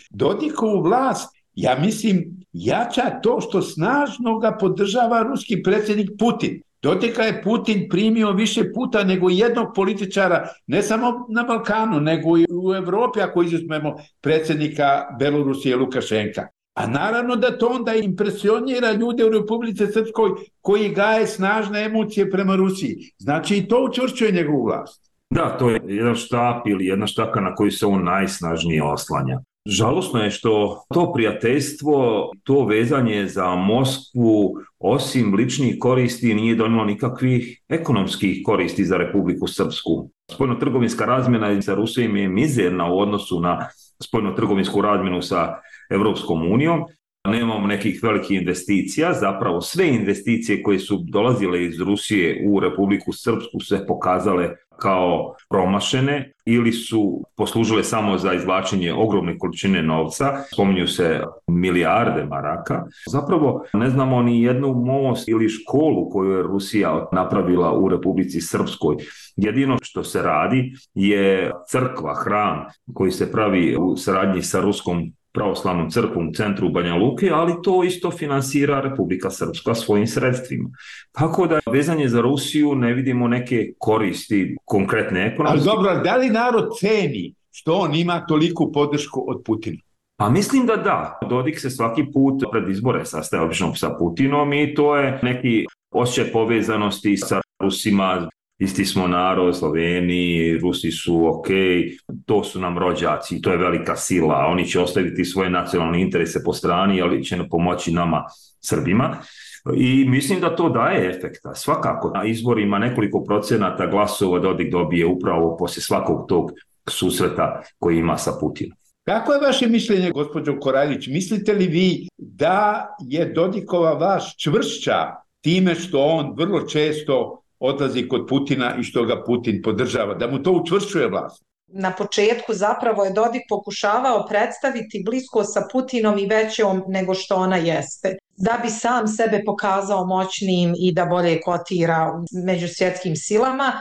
Dodikovu vlast, ja mislim, jača to što snažno ga podržava ruski predsjednik Putin. Dodika je Putin primio više puta nego jednog političara, ne samo na Balkanu, nego i u Evropi, ako izuzmemo predsjednika Belorusije Lukašenka. A naravno da to onda impresionira ljude u Republici Srpskoj koji gaje snažne emocije prema Rusiji. Znači i to učvršćuje njegovu vlast. Da, to je jedan štap ili jedna štaka na koju se on najsnažnije oslanja. Žalosno je što to prijateljstvo, to vezanje za Moskvu, osim ličnih koristi, nije donijelo nikakvih ekonomskih koristi za Republiku Srpsku. Spoljnotrgovinska razmjena sa Rusijom je mizerna u odnosu na spoljnotrgovinsku razmjenu sa Evropskom unijom. Nemamo nekih velikih investicija, zapravo sve investicije koje su dolazile iz Rusije u Republiku Srpsku se pokazale kao promašene ili su poslužile samo za izvlačenje ogromne količine novca, spominju se milijarde maraka. Zapravo ne znamo ni jednu most ili školu koju je Rusija napravila u Republici Srpskoj. Jedino što se radi je crkva, hram koji se pravi u saradnji sa Ruskom pravoslavnom crkvom u centru Banja Luke, ali to isto finansira Republika Srpska svojim sredstvima. Tako da vezanje za Rusiju ne vidimo neke koristi konkretne ekonomske. Ali dobro, da li narod ceni što on ima toliku podršku od Putina? Pa mislim da da. Dodik se svaki put pred izbore sastaje obično sa Putinom i to je neki osjećaj povezanosti sa Rusima. Isti smo narod, Sloveniji, Rusi su ok, to su nam rođaci, to je velika sila, oni će ostaviti svoje nacionalne interese po strani, ali će pomoći nama Srbima. I mislim da to daje efekta. Svakako na izborima nekoliko procenata glasova Dodik dobije upravo poslije svakog tog susreta koji ima sa Putinom. Kako je vaše mišljenje, gospođo Koraljić? Mislite li vi da je Dodikova vlast čvršća time što on vrlo često odlazi kod Putina i što ga Putin podržava, da mu to učvršćuje vlast? Na početku zapravo je Dodik pokušavao predstaviti blisko sa Putinom i većom nego što ona jeste, da bi sam sebe pokazao moćnim i da bolje kotira među svjetskim silama.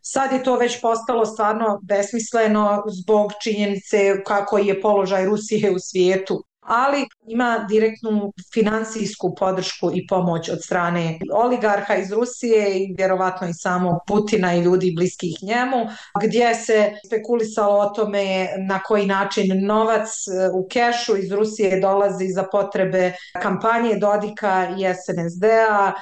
Sad je to već postalo stvarno besmisleno zbog činjenice kako je položaj Rusije u svijetu. Ali ima direktnu finansijsku podršku i pomoć od strane oligarha iz Rusije i vjerovatno i samog Putina i ljudi bliskih njemu, gdje se spekulisalo o tome na koji način novac u kešu iz Rusije dolazi za potrebe kampanje Dodika i SNSD-a.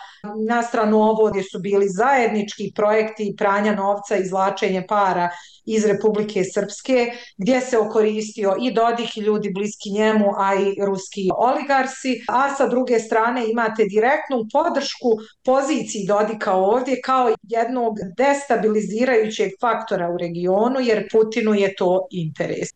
Na stranu ovo gdje su bili zajednički projekti pranja novca i izvlačenje para iz Republike Srpske, gdje se okoristio i Dodik i ljudi bliski njemu, a i ruski oligarsi, a sa druge strane imate direktnu podršku poziciji Dodika ovdje kao jednog destabilizirajućeg faktora u regionu, jer Putinu je to interes.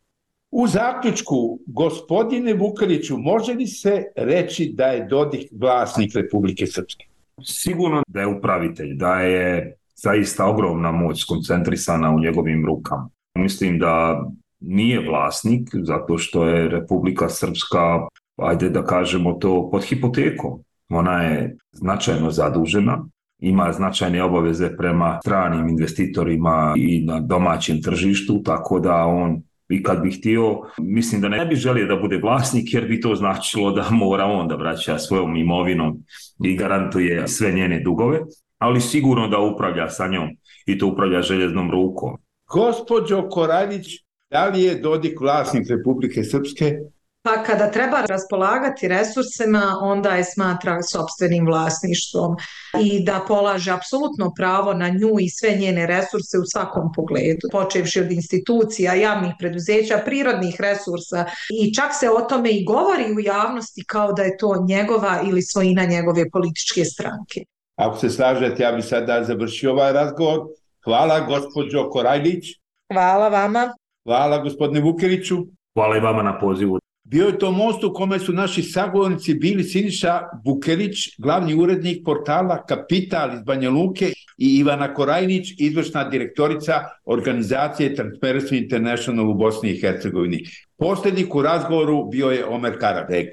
U zaključku, gospodine Vukeliću, može li se reći da je Dodik vlasnik Republike Srpske? Sigurno da je upravitelj, da je zaista ogromna moć skoncentrisana u njegovim rukama. Mislim da nije vlasnik zato što je Republika Srpska, ajde da kažemo to, pod hipotekom. Ona je značajno zadužena, ima značajne obaveze prema stranim investitorima i na domaćem tržištu, tako da on i kad bi htio, mislim da ne bi želio da bude vlasnik jer bi to značilo da mora on da vraća svojom imovinom i garantuje sve njene dugove, ali sigurno da upravlja sa njom i to upravlja željeznom rukom. Gospođo Koraljić, da li je Dodik vlasnik Republike Srpske? pa kada treba raspolagati resursima, onda je smatra sopstvenim vlasništvom i da polaže apsolutno pravo na nju i sve njene resurse u svakom pogledu, počevši od institucija, javnih preduzeća, prirodnih resursa i čak se o tome i govori u javnosti kao da je to njegova ili svojina njegove političke stranke. Ako se slažete, ja bih sada završio ovaj razgovor. Hvala gospođo Korajlić. Hvala vama. Hvala gospodine Vukeliću. Hvala i vama na pozivu. Bio je to most u kome su naši sagovornici bili Siniša Vukelić, glavni urednik portala Kapital iz Banja Luke, i Ivana Korajnić, izvršna direktorica organizacije Transparency International u Bosni i Hercegovini. Poslednik u razgovoru bio je Omer Karabeg.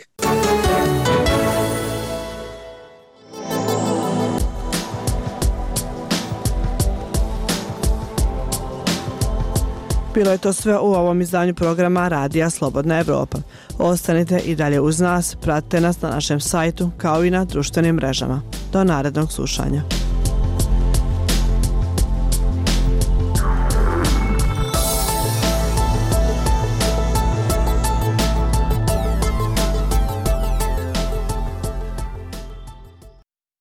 Bilo je to sve u ovom izdanju programa Radija Slobodna Evropa. Ostanite i dalje uz nas, pratite nas na našem sajtu kao i na društvenim mrežama. Do narednog slušanja.